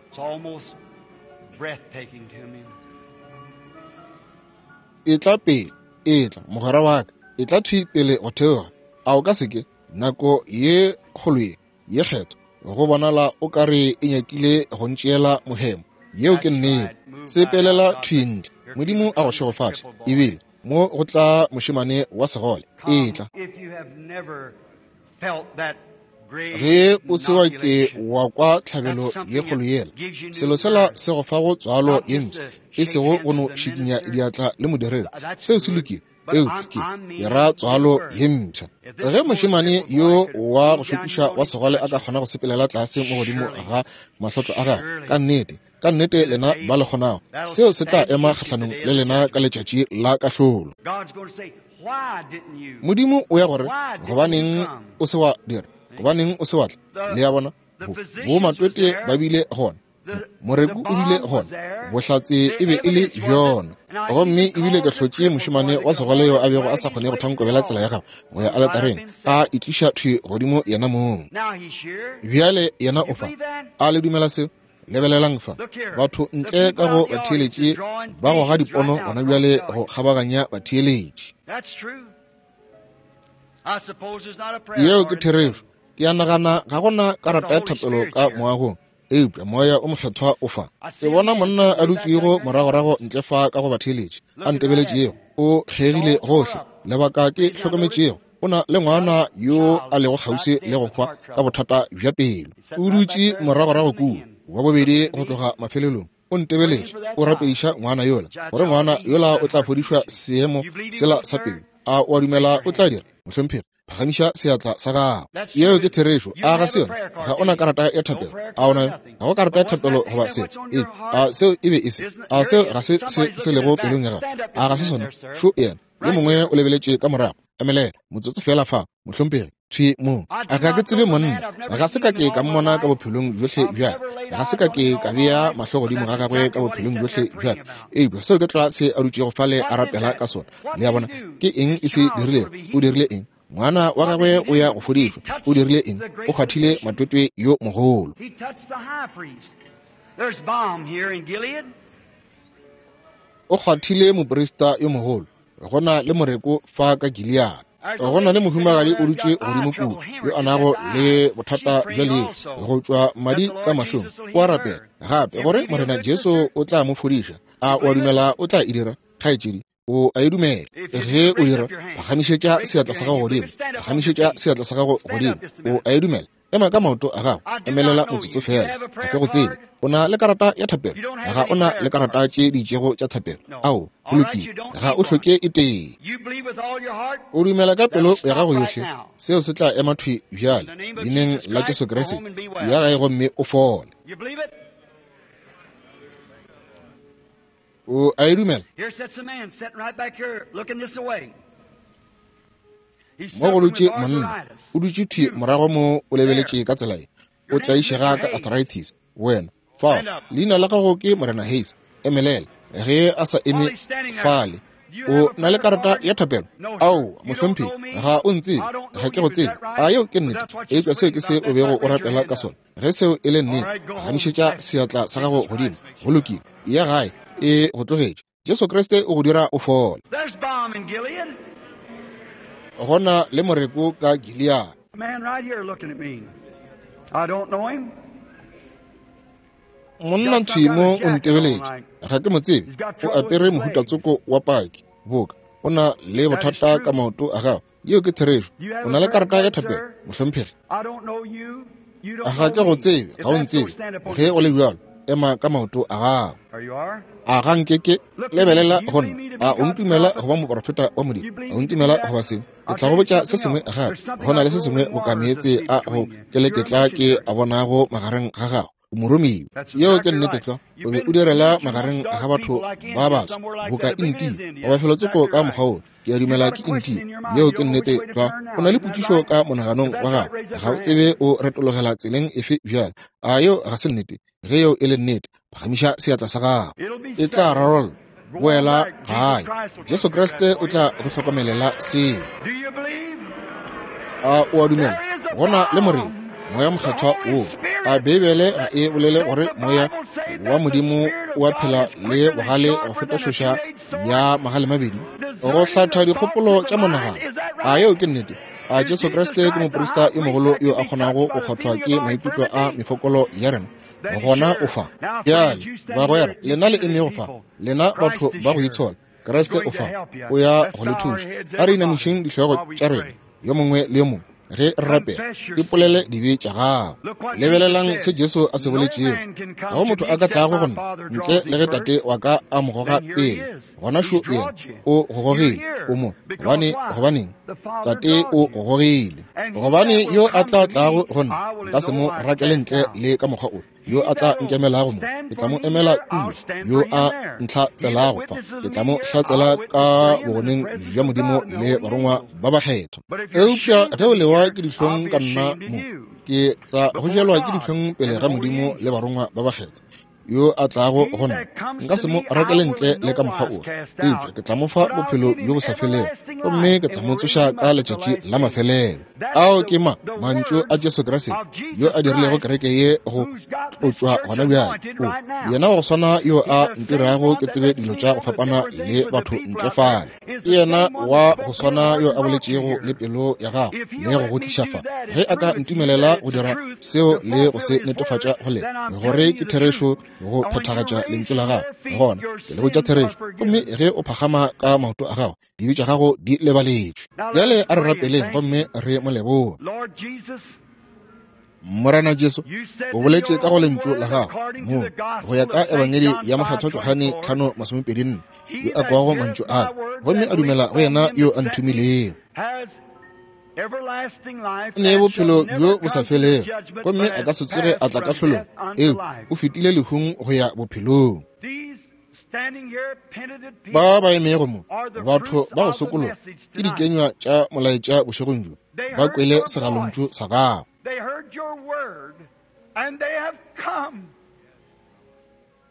it's almost breathtaking to me. E tla pele, e tla, mogwera wa ka. E tla thwi pele go theoga. A o ka se ke? Nako ye kgolo ye, ye kgetho, go bonala o ka re e nyakile go ntšeela mohemo. Yeo ke That's nnete. right. Move right out. Sepelela God thwi bless you. ntle. Here Modimo people a go comes the šegofatše. crippled boy. Ebile mo go tla mošemane wa segole. E Come tla. if you have never felt that great Ge o se wa ke inoculation. wa kwa That's tlhabelo ye something kgolo that yela, gives you new selo sela birth. se go fa go tswalo Not ye just ntsha, to e shake sego hands go no with the šikinya minister. diatla le modiredi. That's Seo se good. lokile, But eupša I'm, ke I ke mean ra new tswalo birth. ye mpsha. If this Ge poor mošemane crippled boy yo could wa go move down šokiša here wa on his segole a ka crutches, kgona go sepelela tlase mo godimo surely, ga mahlotlo a gagwe, surely ka nnete, ka nnete it is lena ba le able. kgonago, That'll seo se tla stand ema against you the kgahlanong day le of the lena ka judgment. letšatši la kahlolo. God's going to say, Why didn't you? Modimo o ya gore, Why didn't you gobaneng come? o se wa dira? See? Gobaneng o se wa tla? The Le a bona? the Bo physicians was matwete ba there. bile gona. Moreku o bile gona, bohlatse e be e le bjona. Gomme ebile ke hlotše mošemane wa segole yo a bego a sa kgone go thankobela tsela ya gagwe go ya aletareng, a itliša thwi godimo yena mong. Bjale yena o fa. A le dumela seo? Lebelelang fa, batho ntle ka go batheeletši ba goga dipono gona bjale go kgabaganya batheeletši. Yeo ke therešo. Ke a nagana ga gona karata ya thapelo ka moagong, eupša moya o mokgethwa o fa. Ke bona monna a dutšego moragorago ntle fa ka go batheeletši, a ntebeletšego, o kgegile gohle. Lebaka ke hlokometšego, o na le ngwana yo a lego kgauswi le go hwa ka bothata bja pelo. O dutše moragorago kua, wa bobedi go tloga mafelelong, o ntebeletše, o rapediša ngwana yola, gore ngwana yola o tla fodišwa seemo sela sa pelo. A o a dumela o tla dira, mohlomphegi? Phagamiša seatla sa gago. Yeo ke therešo. A ga se yona? Ga ona karata ya thapelo. A ona? Ga go karata ya thapelo goba seo? Ee, a seo e be e se? A seo ga se se se lego pelong ya gago? A ga se sona? Šo yena. Yo mongwe o lebeletše ka morago. Emelela motsotso fela fa, mohlomphegi. Thwi mo. A ga ke tsebe monna. Ga se ka ke ka mmona ka bophelong bjohle bja. Ga se ka ke ka bea mahlo godimo ga gagwe ka bophelong bjohle bja. Eupša seo ke tla se a dutšego fale a rapela ka sona. Le a bona? Ke eng e se dirilego? O dirile eng? Ngwana wa gagwe o ya go fodišwa. O dirile eng? O kgwathile matwetwe yo mogolo. O kgwathile moprista yo mogolo. Go na le moreko fa ka Gilead. Go na le mohumagadi o dutše godimo kua yo a nago le bothata bja leihlo, go tšwa madi ka mahlong. O a rapela gape gore Morena Jesu o tla mo fodiša. A o a dumela o tla e dira, kgaetšedi? O a e dumela. Ge o dira, phagamišetša seatla sa gago godimo. Phagamišetša seatla sa gago godimo. O a e dumela. Ema ka maoto a gago. Emelela motsotso fela. Ga ke go tsebe. O na le karata ya thapelo? Ga o na le karata tše di itšego tša thapelo? Ao, go lokile. Ga o hloke e tee. O dumela ka pelo ya gago yohle, seo se tla ema thwi bjale leineng la Jesu Kriste. Ya gae gomme o fole. O a e dumela? Mo go dutše monna, o dutše thwi morago mo, o lebeletše ka tsela ye. O tlaišega ka arthritis. Wena fao, leina la gago ke Morena Hayes. Emelela. Ge a sa eme fale, o na le karata ya thapelo? Ao, mohlomphegi, ga o ntsebe. Ga ke go tsebe. A yeo ke nnete? Eupša seo ke se o bego o rapela ka sona. Ge seo e le nnete, phagamišetša seatla sa gago godimo. Go lokile. Ya gae e go tlogetše. Jesu Kriste o go dira o fole. Go na le moreko ka Gilead. Monna thwi mo o ntebeletše. Ga ke mo tsebe. O apere mohutatsoko wa paki. Boka o na le bothata ka maoto a gago. Yeo ke therešo. O na le karata ya thapelo, mohlomphegi? Ga ke go tsebe. Ga o ntsebe. Ge o le bjalo, ema ka maoto a gago. A ga nke ke lebelela go nna? A o ntumela go ba moprofeta wa Modimo? A o ntumela go ba seo? Ke tla go botša se sengwe gape. Go na le se sengwe boka meetse a go keleketla ke a bonago magareng ga gago. O moromiwa. Yeo ke nnete tlwa. O be o direla magareng ga batho ba baso boka Intia goba felotsoko ka mokgwa wo. Ke a dumela ke Intia. Yeo ke nnete tlwa. O na le potšišo ka monaganong wa gago. Ga o tsebe o retologela tseleng efe bjale. A yeo ga se nnete? Ge yeo e le nnete, phagamiša seatla sa gago. E tla rarolla. Boela gae. Jesu Kriste o tla go hlokomelela seo. A o a dumela? Go na le morena, moya mokgethwa wo. A Beibele ga e bolele gore moya wa Modimo o a phela le bogale go feta tšhoša ya magale mabedi, go hlatha dikgopolo tša monagano? A yeo ke nnete? A Jesu Kriste ke moprista yo mogolo yo a kgonago go kgwathwa ke maikutlo a mefokolo ya rena? Gona o fa. Bjale bagwera, lena le emego fa, lena batho ba go itshola, Kriste o fa, o ya go le thuša. A re inamišeng dihlogo tša rena yo mongwe le yo mongwe ge re rapela. Ipolele dibe tša gago. Lebelelang se Jesu a se boletšego. Ga go motho a ka tlago go nna ntle le ge Tate wa ka a mo goga pele. Gona šo yena, o go gogile. O mo gobane, gobaneng? Tate o go gogile. Gobane yo a tla tlago go nna, nka se mo rakele ntle le ka mokgwa o. Yo a tla nkemelago mo, ke tla mo emela kua. Yo a ntlhatselago fa, ke tla mo hlatsela ka bogoneng bja Modimo le barongwa ba bakgethwa. Eupša ge o lewa ke dihlong ka nna mo, Ke tla go jelwa ke dihlong pele ga Modimo le barongwa ba bakgethwa. Yo a tlago go nna nka se mo rakele ntle le ka mokgwa o, eupša ke tla mo fa bophelo bjo bo sa felego, gomme ke tla mo tsoša ka letšatši la mafelelo. Ao ke ma mantšu a Jesu Kriste yo a dirilego kereke ye go tlotšwa gona bjale. O yena wa go swana yo a ntirago ke tsebe dilo tša go fapana le batho ntle fale. Ke yena wa go swana yo a boletšego le pelo ya gago le go go tliša fa. Ge a ka ntumelela go dira seo le go se netefatša go lena gore ke therešo go phethagatša lentšu la gago, gona ke le botša therešo. Gomme ge o phagama ka maoto a gago, dibe tša gago di lebaletšwe. Bjale a re rapeleng gomme re mo leboge. Morena Jesu, o boletše ka go lentšu la gago mo go ya ka Ebangedi ya Mokgethwa Johane tlhano masomepedi nne, yo a kwago mantšu a gomme a dumela go yena yo a nthomilego ne bophelo bjo bo sa felego, gomme a ka se tsoge a tla kahlolong, eo o fetile lehung go ya bophelong. Ba ba emego mo, batho ba go sokologa, ke dikenywa tša molaetša bošegong bjo, ba kwele segalontšu sa gago.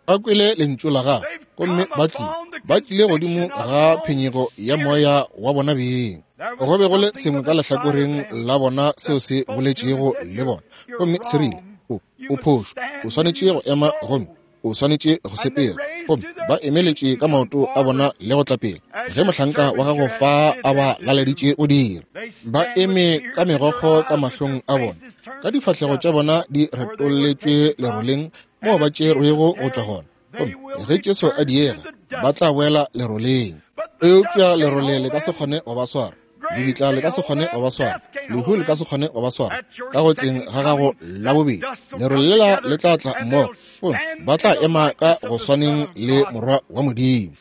Ba kwele lentšu la gago, gomme ba tlile, ba tlile godimo ga phenyego ya moya wa bona beng. Go be go le sengwe ka lehlakoreng la bona seo se boletšego le bona, gomme se rile, o o phošo, o swanetše go ema gomme o swanetše go sepela. Gomme ba emeletše ka maoto a bona le go tla pele ge mohlanka wa gago fa a ba laleditše go dira. Ba eme ka megokgo ka mahlong a bona, ka difahlego tša bona di retolletšwe leroleng moo ba tšerwego go tšwa gona. Gomme ge Jesu a diega, ba tla boela leroleng. Eupša lerole le ka se kgone go ba swara, lebitla le ka se kgone go ba swara, lehu le ka se kgone go ba swara. Ka go tleng ga gago la bobedi, lerole lela le tla tla mmogo, gomme ba tla ema ka go swaneng le Morwa wa Modimo.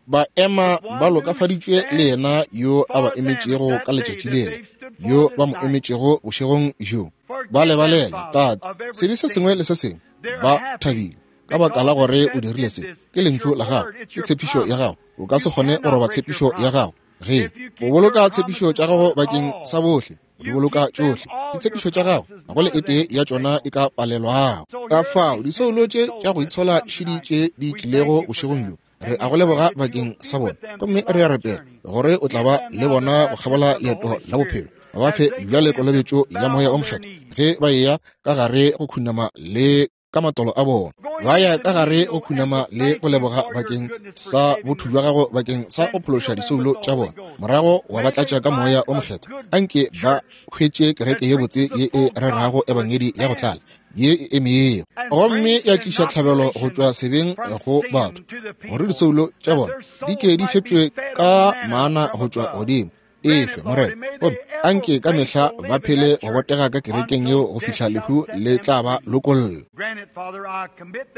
Ba ema ba lokafaditšwe le yena yo a ba emetšego ka letšatši lela, yo ba mo emetšego bošegong bjo. Ba lebalela, Tate, sebe se sengwe le se sengwe. Ba thabile ka baka la gore o dirile se. Ke lentšu la gago, ke tshepišo ya gago. O ka se kgone go roba tshepišo ya gago. Ge o boloka tshepišo tša gago bakeng sa bohle, o di boloka tšohle. Ditshepišo tša gago ga go le e tee ya tšona e ka palelwago. Ka fao disoulo tše tša go itshola šidi tše di tlilego bošegong bjo, re a go leboga bakeng sa bona, gomme re a rapela gore o tla ba le bona go kgabola leeto la bophelo. Ba fe bjale kolobetšo ya moya o mokgethwa ge ba eya ka gare go khunama le ka matolo a bona. Ba ya ka gare go khunama le go leboga bakeng sa botho bja gago bakeng sa go phološa disoulo tša bona, morago wa ba tlatša ka moya o mokgethwa. Anke ba hwetše kereke ye botse ye e rerago ebangedi ya go tlala ye e emego, gomme ya tliša tlhabelo go tšwa sebeng go batho, gore disoulo tša bona di ke di fepšwe ka mana go tšwa godimo. Efe Morena, gomme anke ka mehla ba phele go botega ka kerekeng yeo go fihla lehu le tla ba lokolla.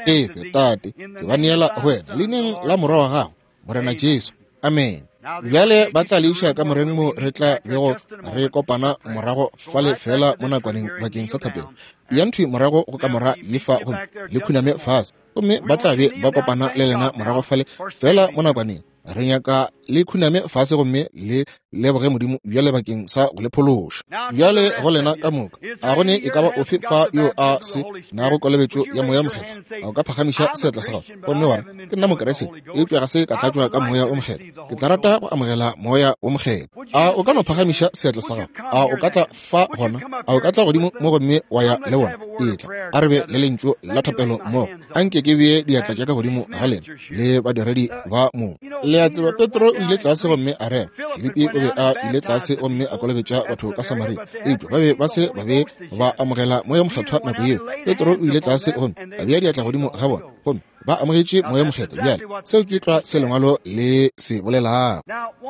Efe Tate, ke ba neela go wena leineng la Morwa wa gago, Morena Jesu. Amen. Bjale ba tla le iša ka moreng mo re tla bego re kopana morago fale fela mo nakwaneng bakeng sa thapelo. Ya nthwi morago go kamora ye fa gomme le khuname fase, gomme ba tla be ba kopana le lena morago fale fela mo nakwaneng. Re nyaka le khuname fase gomme le leboge Modimo bjale bakeng sa go le phološa. Bjale go lena ka moka, a go ne e ka ba ofe fa yo a se nago kolobetšo ya moya mokgethwa? A o ka phagamiša seatla sa gago gomme wa re, ke nna Mokriste, eupša ga se ka tlatšwa ka moya o mokgethwa, ke tla rata go amogela moya o mokgethwa. A o ka no phagamiša seatla sa gago? A o ka tla fa gona? A o ka tla godimo mo gomme wa ya le bona? Etla, a re be le lentšu la thapelo mmogo. Anke ke bee diatla tša ka godimo ga lena le badiredi ba mo. Le a tseba, Petro o ile tlase gomme a rera. Filipi o be a ile tlase gomme a kolobetša batho ka Samaria, eupša ba be ba se ba be ba amogela moya mokgethwa nako yeo. Petro o ile tlase gomme a bea diatla godimo ga bona, gomme ba amogetše moya mokgethwa. Bjale seo ke tlwa se lengwalo le se bolelago.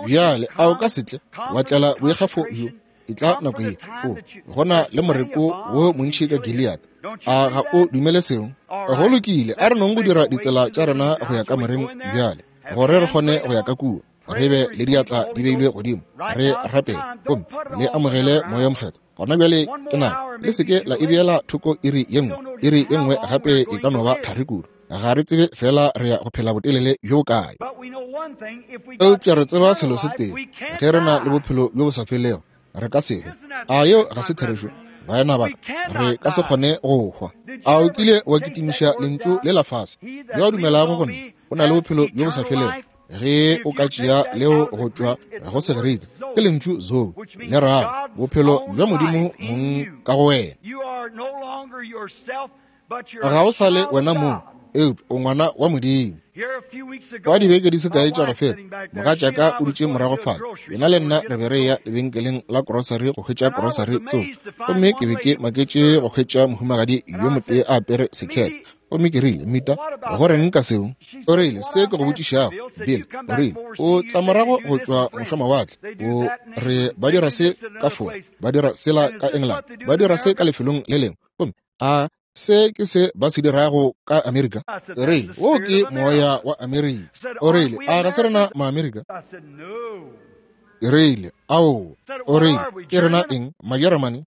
Bjale a o ka se tle wa tlela boikgafo bjo? E tla nako ye o gona le moreko wo montši ka Gilead. A ga o dumele seo? Go lokile, a re nong go dira ditsela tša rena go ya ka moreng bjale, gore re kgone go ya ka kua, re be le diatla di beilwe godimo, re rapele gomme le amogele moya mokgethwa. Gona bjale ke nako, le seke la e beela thoko iri ye nngwe. Iri ye nngwe gape e ka no ba thari kudu. Ga re tsebe fela re ya go phela botelele bjo bokae. Eupša re tseba selo se tee, ge re na le bophelo bjo bo sa felego, re ka se hwe. A yeo ga se therešo, baena ba ka? Re ka se kgone go hwa. A o kile wa kitimiša lentšu le la fase? Yo a dumelago go nna o na le bophelo bjo bo sa felego. Ge o ka tšea leo go tšwa go Segerika, ke lentšu zoe, le rago bophelo bja Modimo mong ka go wena. Ga o sa le wena mong, eupša o ngwana wa Modimo. Kwa dibeke di se kae tša go feta, mogatšaka o dutše morago fale. Yena le nna re be re ya lebenkeleng la grocery go hwetša grocery tsoko, gomme ke be ke maketše go hwetša mohumagadi yo motee a apere sekhethe. Gomme ke rile, Mita, go reng ka seo? O rile, se ke go botšišago, Bill. O rile, o tla morago go tšwa mošwamawatle. O re ba dira se ka Fora, ba dira sela ka England, ba dira se ka lefelong le lengwe. Gomme a se ke se ba se dirago ka Amerika? O rile, wo ke moya wa Amerika. O rile, a ga se rena Maamerika? Ke rile, ao. O rile, ke rena eng, Majeremane?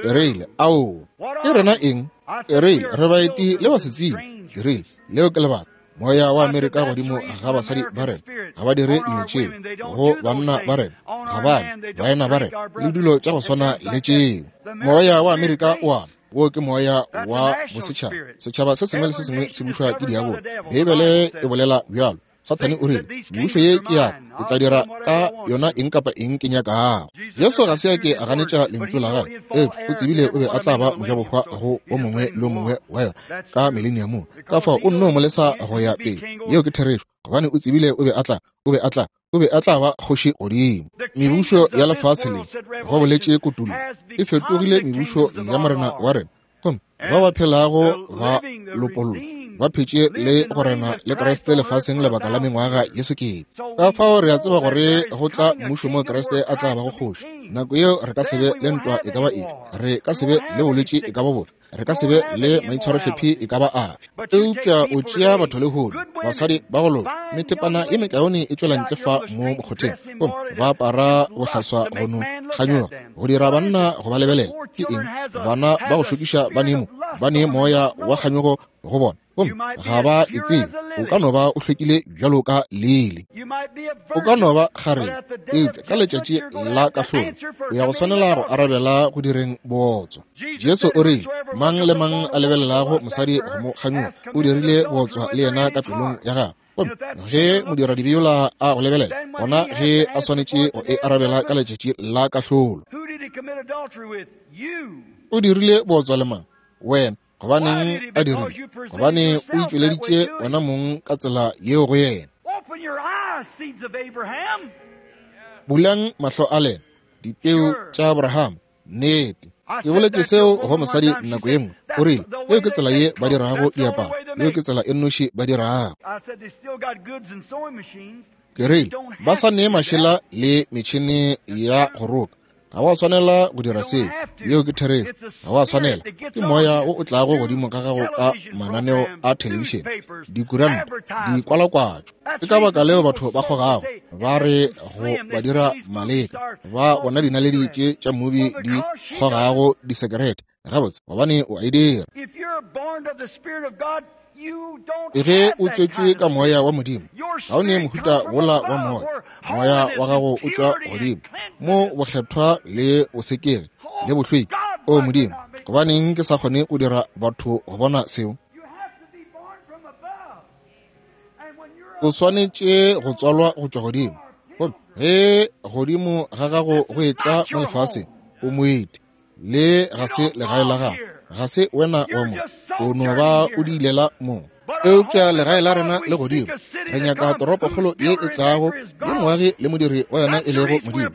Ke rile, ao. Ke rena eng? Ke rile, re baeti le basetsebi. Ke rile, leo ke lebaka. Moya wa Amerika godimo ga basadi ba rena, ga ba dire dilo tšeo. Go banna ba rena, ga ba baena ba rena, le dilo tša go swana le tšeo. Moya wa Amerika o a wo ke moya wa bosetšhaba. Setšhaba se sengwe le se sengwe se bušwa ke diabolo. Beibele e bolela bjalo. Sathane o rile, mebušo ye ke ya ka, ke tla dira ka yona eng kapa eng ke nyakago. Jesu ga se a ke a ganetša lentšu la gagwe, eupša o tsebile o be a tla ba mojabohwa go o mongwe le o mongwe wa yona ka mileniamong. Ka fao o nno mo lesa go ya pele. Yeo ke therešo, gobane o tsebile o be a tla, o be a tla, o be a tla ba kgoši godimo. Mebušo ya lefase le, go boletše Kutullo, e fetogile mebušo ya Morena wa rena, gomme ba ba phelago ba lopollwa ba phetše le go rena le Kriste lefaseng lebaka la mengwaga ye sekete. Ka fao re a tseba gore go tla mmušo mo Kriste a tla bago kgoši. Nako yeo re ka se be le ntwa e ka ba efe, re ka se be le bolwetši e ka ba bofe, re ka se be le maitshwarohlephi e ka ba afe. Eupša o tšea batho lehono, basadi ba go loka, methepana ye mekaone e tšwela ntle fa mo mokgotheng, gomme ba apara bohlaswa go no kganyoga go dira banna go ba lebelela. Ke eng? Bana ba go šokiša ba ne mo, ba ne moya wa kganyogo go bona, gomme ga ba e tsebe. O ka no ba o hlwekile bjalo ka lele, o ka no ba kgarebe, eupša ka letšatši la kahlolo o ya go swanela go arabela go direng bootswa. Jesu o rile, mang le mang a lebelelago mosadi go mo kganyoga o dirile bootswa le yena ka pelong ya gagwe. Gomme ge modiradibe yola a go lebelela, gona ge a swanetše go e arabela ka letšatši la kahlolo. O dirile bootswa le mang? Wena. Gobaneng a dirile? Gobane o itšweleditše wena mong ka tsela yeo go yena. Bulang mahlo a lena, dipeu tša Abraham. Nnete. Ke boletše seo go mosadi nako ye nngwe. O rile, yeo ke tsela ye ba dirago diaparo, yeo ke tsela e nnoši ba dirago. Ke rile, ba sa ne mašela le metšhene ya go roka. Ga wa swanela go dira seo. Yeo ke therešo. Ga wa swanela. Ke moya wo o tlago godimo ga gago ka mananeo a thelebišene, dikuranta, dikwalakwatšo. Ke ka baka leo batho ba kgogago ba re go ba dira maleka, ba bona dinaledi tše tša mobi di kgogago disekerete. Gabotse, gobane o a e dira. Ge o tswetšwe ka moya wa Modimo, ga o ne mohuta wola wa moya. Moya wa gago o tšwa godimo, mo bokgethwa le bosekegi le bohlweki. O Modimo, gobaneng ke sa kgone go dira batho go bona seo? O swanetše go tswalwa go tšwa godimo. Gomme ge godimo ga gago go etla mo lefaseng, o moeti, le ga se legae la gago, ga se wena wa mo, o no ba o diilela mo. Eupša legae la rena le godimo. Re nyaka toropokgolo ye e tlago, ye moagi le modiri wa yona e lego Modimo.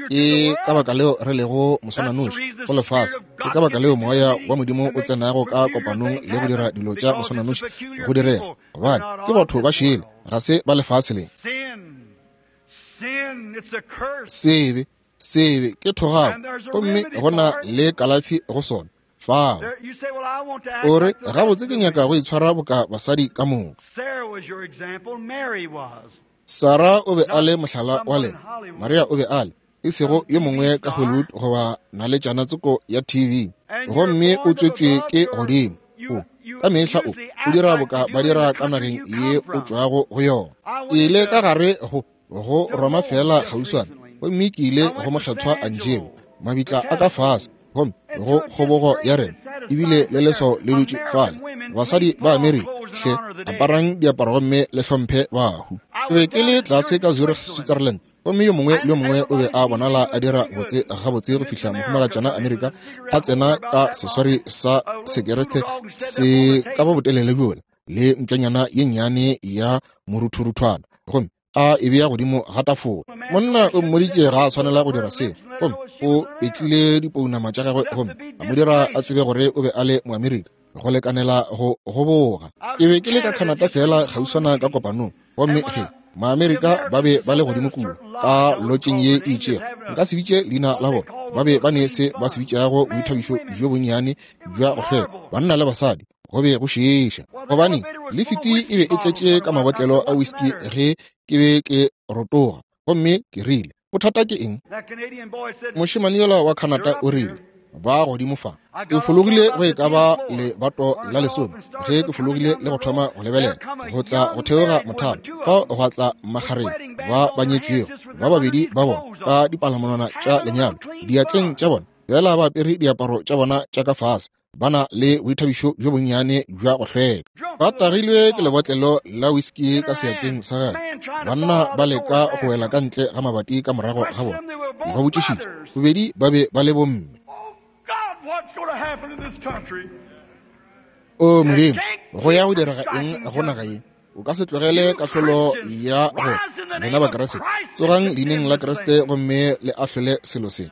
Ke ka baka leo re lego moswananoši go lefase. Ke ka baka leo moya wa Modimo o tsenago ka kopanong le go dira dilo tša moswananoši go direga, gobane ke batho ba šele, ga se ba lefase le. Sebe, sebe ke thogako, gomme go na le kalafi go sona. Fao. O re, gabotse ke nyaka go itshwara boka basadi ka moka. Sarah o be a le mohlala wa lena, Maria o be a le, e sego yo mongwe ka Hollywood goba naletšana tsoko ya T V. Gomme o tswetšwe ke godimo. O, ka mehla o, o dira boka ba dira ka nageng ye o tšwago go yona. Ke ile ka gare go, go Roma fela kgauswana, gomme ke ile go mokgethwa Angelo. Mabitla a ka fase, gomme go kgobogo ya rena, ebile le leswao le dutše fale. Basadi ba Amerika, hle aparang diaparo gomme le hlomphe bahu. Ke be ke le tlase ka Zurich, Switzerland, gomme yo mongwe le yo mongwe o be a bonala a dira botse gabotse go fihla mohumagatšana Amerika a tsena ka seswari sa sekerete se ka ba botelele bjola le ntšanyana ye nnyane ya moruthuruthwana, gomme a e bea godimo ga tafola. Monna o mmoditše ga a swanela go dira seo, gomme o petlile dipounama tša gagwe gomme a mo dira a tsebe gore o be a le Moamerika go lekanela go goboga. Ke be ke le ka Canada fela kgauswana ka kopanong, gomme ge Maamerika ba be ba le godimo kua ka lotšeng ye e itšego, nka se bitše leina la bona, ba be ba ne se ba se bitšago boithabišo bjo bonnyane bja go hlweka, banna le basadi, go be go šiiša. Gobane lifiti e be e tletše ka mabotlelo a whisky ge ke be ke rotoga, gomme ke rile, bothata ke eng? Mošemane yola wa Canada o rile, ba godimo fa. Ke fologile go e ka ba lebato la lesome ge ke fologile le go thoma go lebelela go tla go theoga mothalo, fao gwa tla magareng ba ba nyetšwego ba babedi ba bona ka dipalamonwana tša lenyalo diatleng tša bona, fela ba apere diaparo tša bona tša ka fase, ba na le boithabišo bjo bonnyane bja go hlweka, ba tagilwe ke lebotlelo la whisky ka seatleng sa gagwe. Banna ba leka go wela ka ntle ga mabati ka morago ga bona. Ke ba botšišitše, bobedi ba be ba le bomme. O Modimo, go ya go direga eng go naga ye? O ka se tlogele kahlolo ya go lena Bakriste. Tsogang leineng la Kriste gomme le ahlole selo se.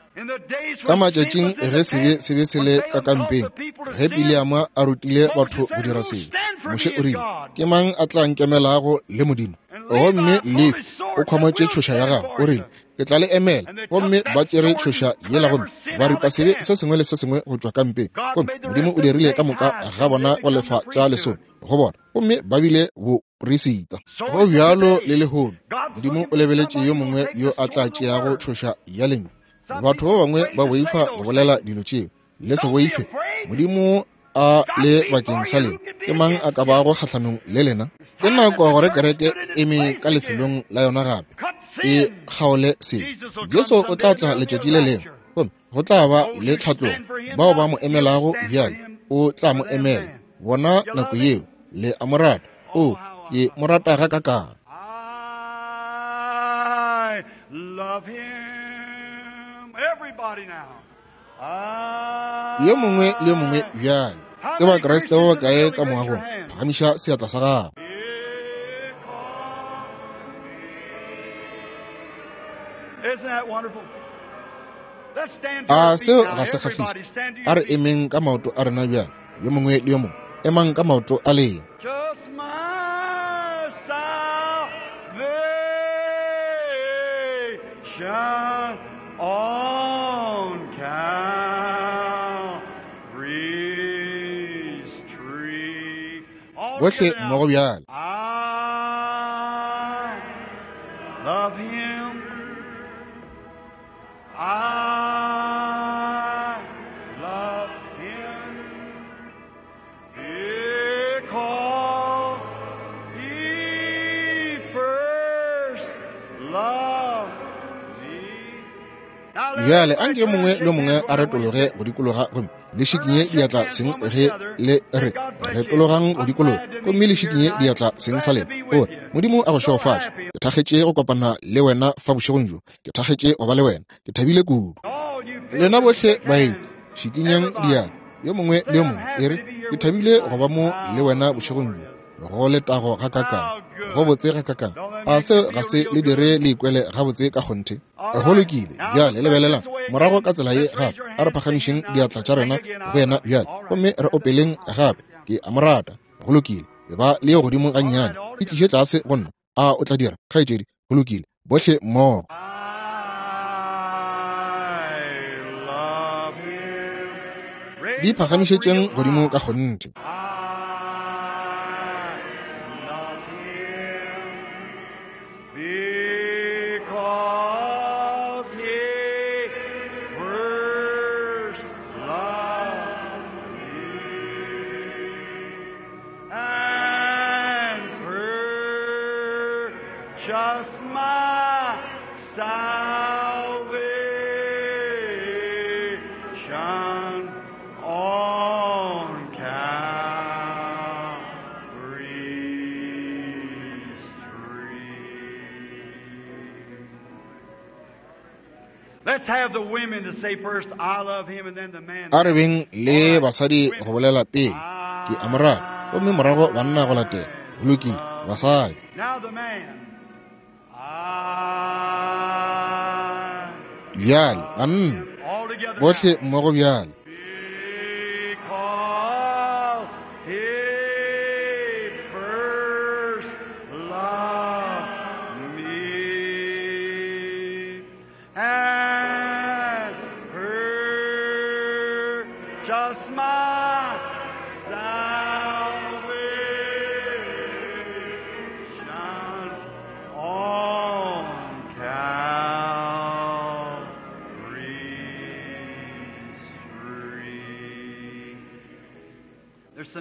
Ka matšatšing ge sebe se be se le ka kampeng, ge Bileama a rutile batho go dira sebe, Moshe o rile, ke mang a tla nkemelago le Modimo? Gomme Lefi o khwamotše tšhoša ya gagwe, o rile, ke tla le emela. Gomme ba tšere tšhoša yela gomme ba ripa sebe se sengwe le se sengwe go tšwa kampeng. Gomme Modimo o dirile ka moka ga bona go lefa tša lesome go bona, gomme ba bile boperisita. Go bjalo le lehono, Modimo o lebeletše yo mongwe yo a tla tšeago tšhoša ya lentšu. Batho ba bangwe ba boifa go bolela dilo tšeo. Le se boife, Modimo a le bakeng sa lena. Ke mang a ka bago kgahlanong le lena? Ke nako gore kereke e eme ka lefelong la yona gape, e kgaole sebe. Jesu o tla tla letšatši le lengwe, gomme go tla ba le tlhatlogo. Bao ba mo emelago bjale, o tla mo emela bona nako yeo. Le a mo rata? O, ke mo rata gakakang. Yo mongwe le yo mongwe bjale. Ke Bakriste ba bakae ka moagong? Phagamiša seatla sa gago. A seo ga se kgahliše? A re emeng ka maoto a rena bjale, yo mongwe le yo mongwe. Emang ka maoto a lena. On Calvary's tree. Bohle mmogo bjale. I love him. I love him because he first loved me. Bjale anke yo mongwe le yo mongwe a retologe go dikologa gomme le šikinye diatla seng ge le re retologang go dikologa gomme le šikinye diatla seng sa lena. O re, Modimo a go šegofatše. Ke thakgetše go kopana le wena fa bošegong bjo. Ke thakgetše go ba le wena. Ke thabile kudu. Lena bohle baeng, šikinyang diatla yo mongwe le yo mongwe, e re, ke thabile go ba mo le wena bošegong bjo. Go letago gakakang, go botse gakakang. A seo ga se le dire le ikwele gabotse ka kgonthe? Go lokile. Bjale lebelelang morago ka tsela ye gape. A re phagamišeng diatla tša rena go yena bjale, gomme re opeleng gape. Ke a mo rata. Go lokile. E ba le yo godimo gannyane, e tliše tlase go nna. A o tla dira, kgaetšedi? Go lokile. Bohle mmogo. Di phagamišetšeng godimo ka kgonthe. Because he first loved me and purchased my salvation A re beng le basadi go bolela pele, ke a mo rata, gomme morago banna go latela. Go lokile, basadi. Bjale, banna, bohle mmogo bjale.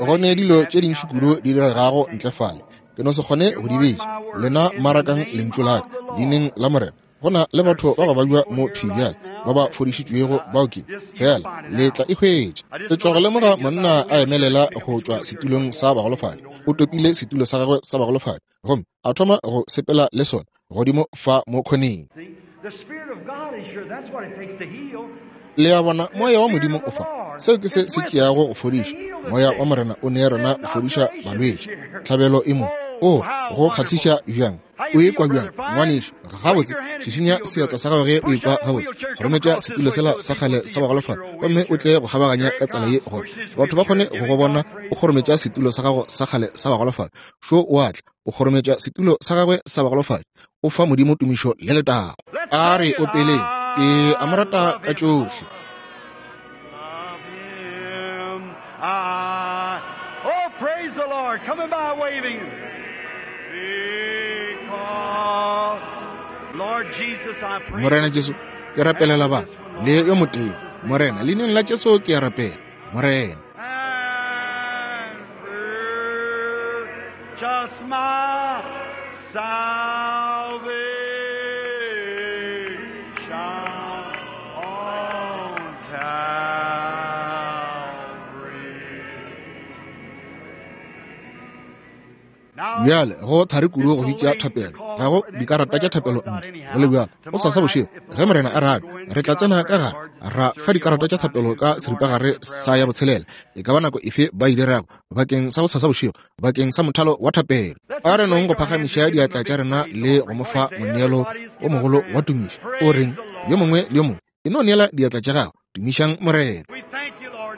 Go ne dilo tše dintši kudu di diregago ntle fale, ke no se kgone go di bitša. Lena marakang lentšu la ka leineng la Morena. Go na le batho ba go babja mo thwi bjale ba ba fodišitšwego bao ke fela le tla e hwetša. Ke tšwa go lemoga monna a emelela go tšwa setulong sa bagolofadi. O topile setulo sa gagwe sa bagolofadi gomme a thoma go sepela le sona godimo fa mo khoneng. Le a bona, moya wa Modimo o fa. Seo ke se se tšeago go fodiša. Moya wa Morena o ne rena go fodiša balwetši. Tlhabelo e mo. O go kgahliša bjang? O ikwa bjang, ngwanešu? Gabotse, šišinya seatla sa gago ge o ikwa gabotse. Kgorometša setulo sela sa kgale sa bagolofadi gomme o tle go kgabaganya ka tsela ye gore batho ba kgone go go bona o kgorometša setulo sa gago sa kgale sa bagolofadi. Šo o a tla, o kgorometša setulo sa gagwe sa bagolofadi. O fa Modimo tumišo le letago. A re opeleng, ke a mo rata ka tšohle. Oh, praise the Lord, coming by waving. Because, Lord Jesus, I pray. Morena Jesu, ke rapelela ba le yo motee. Morena, leineng la Jesu ke a rapela. Morena. And purchase my salvation on Calvary. Bjale go thari kudu go bitša thapelo, ga go dikarata tša thapelo ntle. Go le bjalo, go sasa bošego ge Morena a rata, re tla tsena ka gare ra fa dikarata tša thapelo ka seripagare sa ya botshelela. E ka ba nako efe ba e dirago bakeng sa go sasa bošego, bakeng sa mothalo wa thapelo. A re nong go phagamiša diatla tša rena le go mo fa moneelo o mogolo wa tumišo. O reng yo mongwe le yo mongwe, e no neela diatla tša gago, tumišang Morena.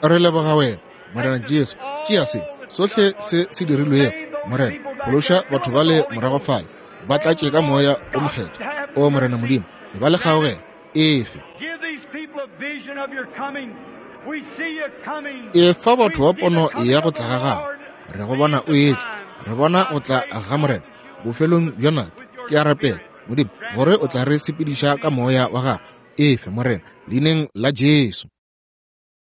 Re leboga wena, Morena Jesu. Tšea se sohle se se dirilwego, Morena. Phološa batho ba le morago fale, ba tlatše ka moya o mokgethwa. O Morena Modimo, e ba le kgaogelo efe. E fa batho ba pono ya go tla ga gago. Re go bona o etla, re bona go tla ga Morena bofelong bja nako. Ke a rapela, Modimo, gore o tla re sepediša ka moya wa gago. Efe, Morena, leineng la Jesu.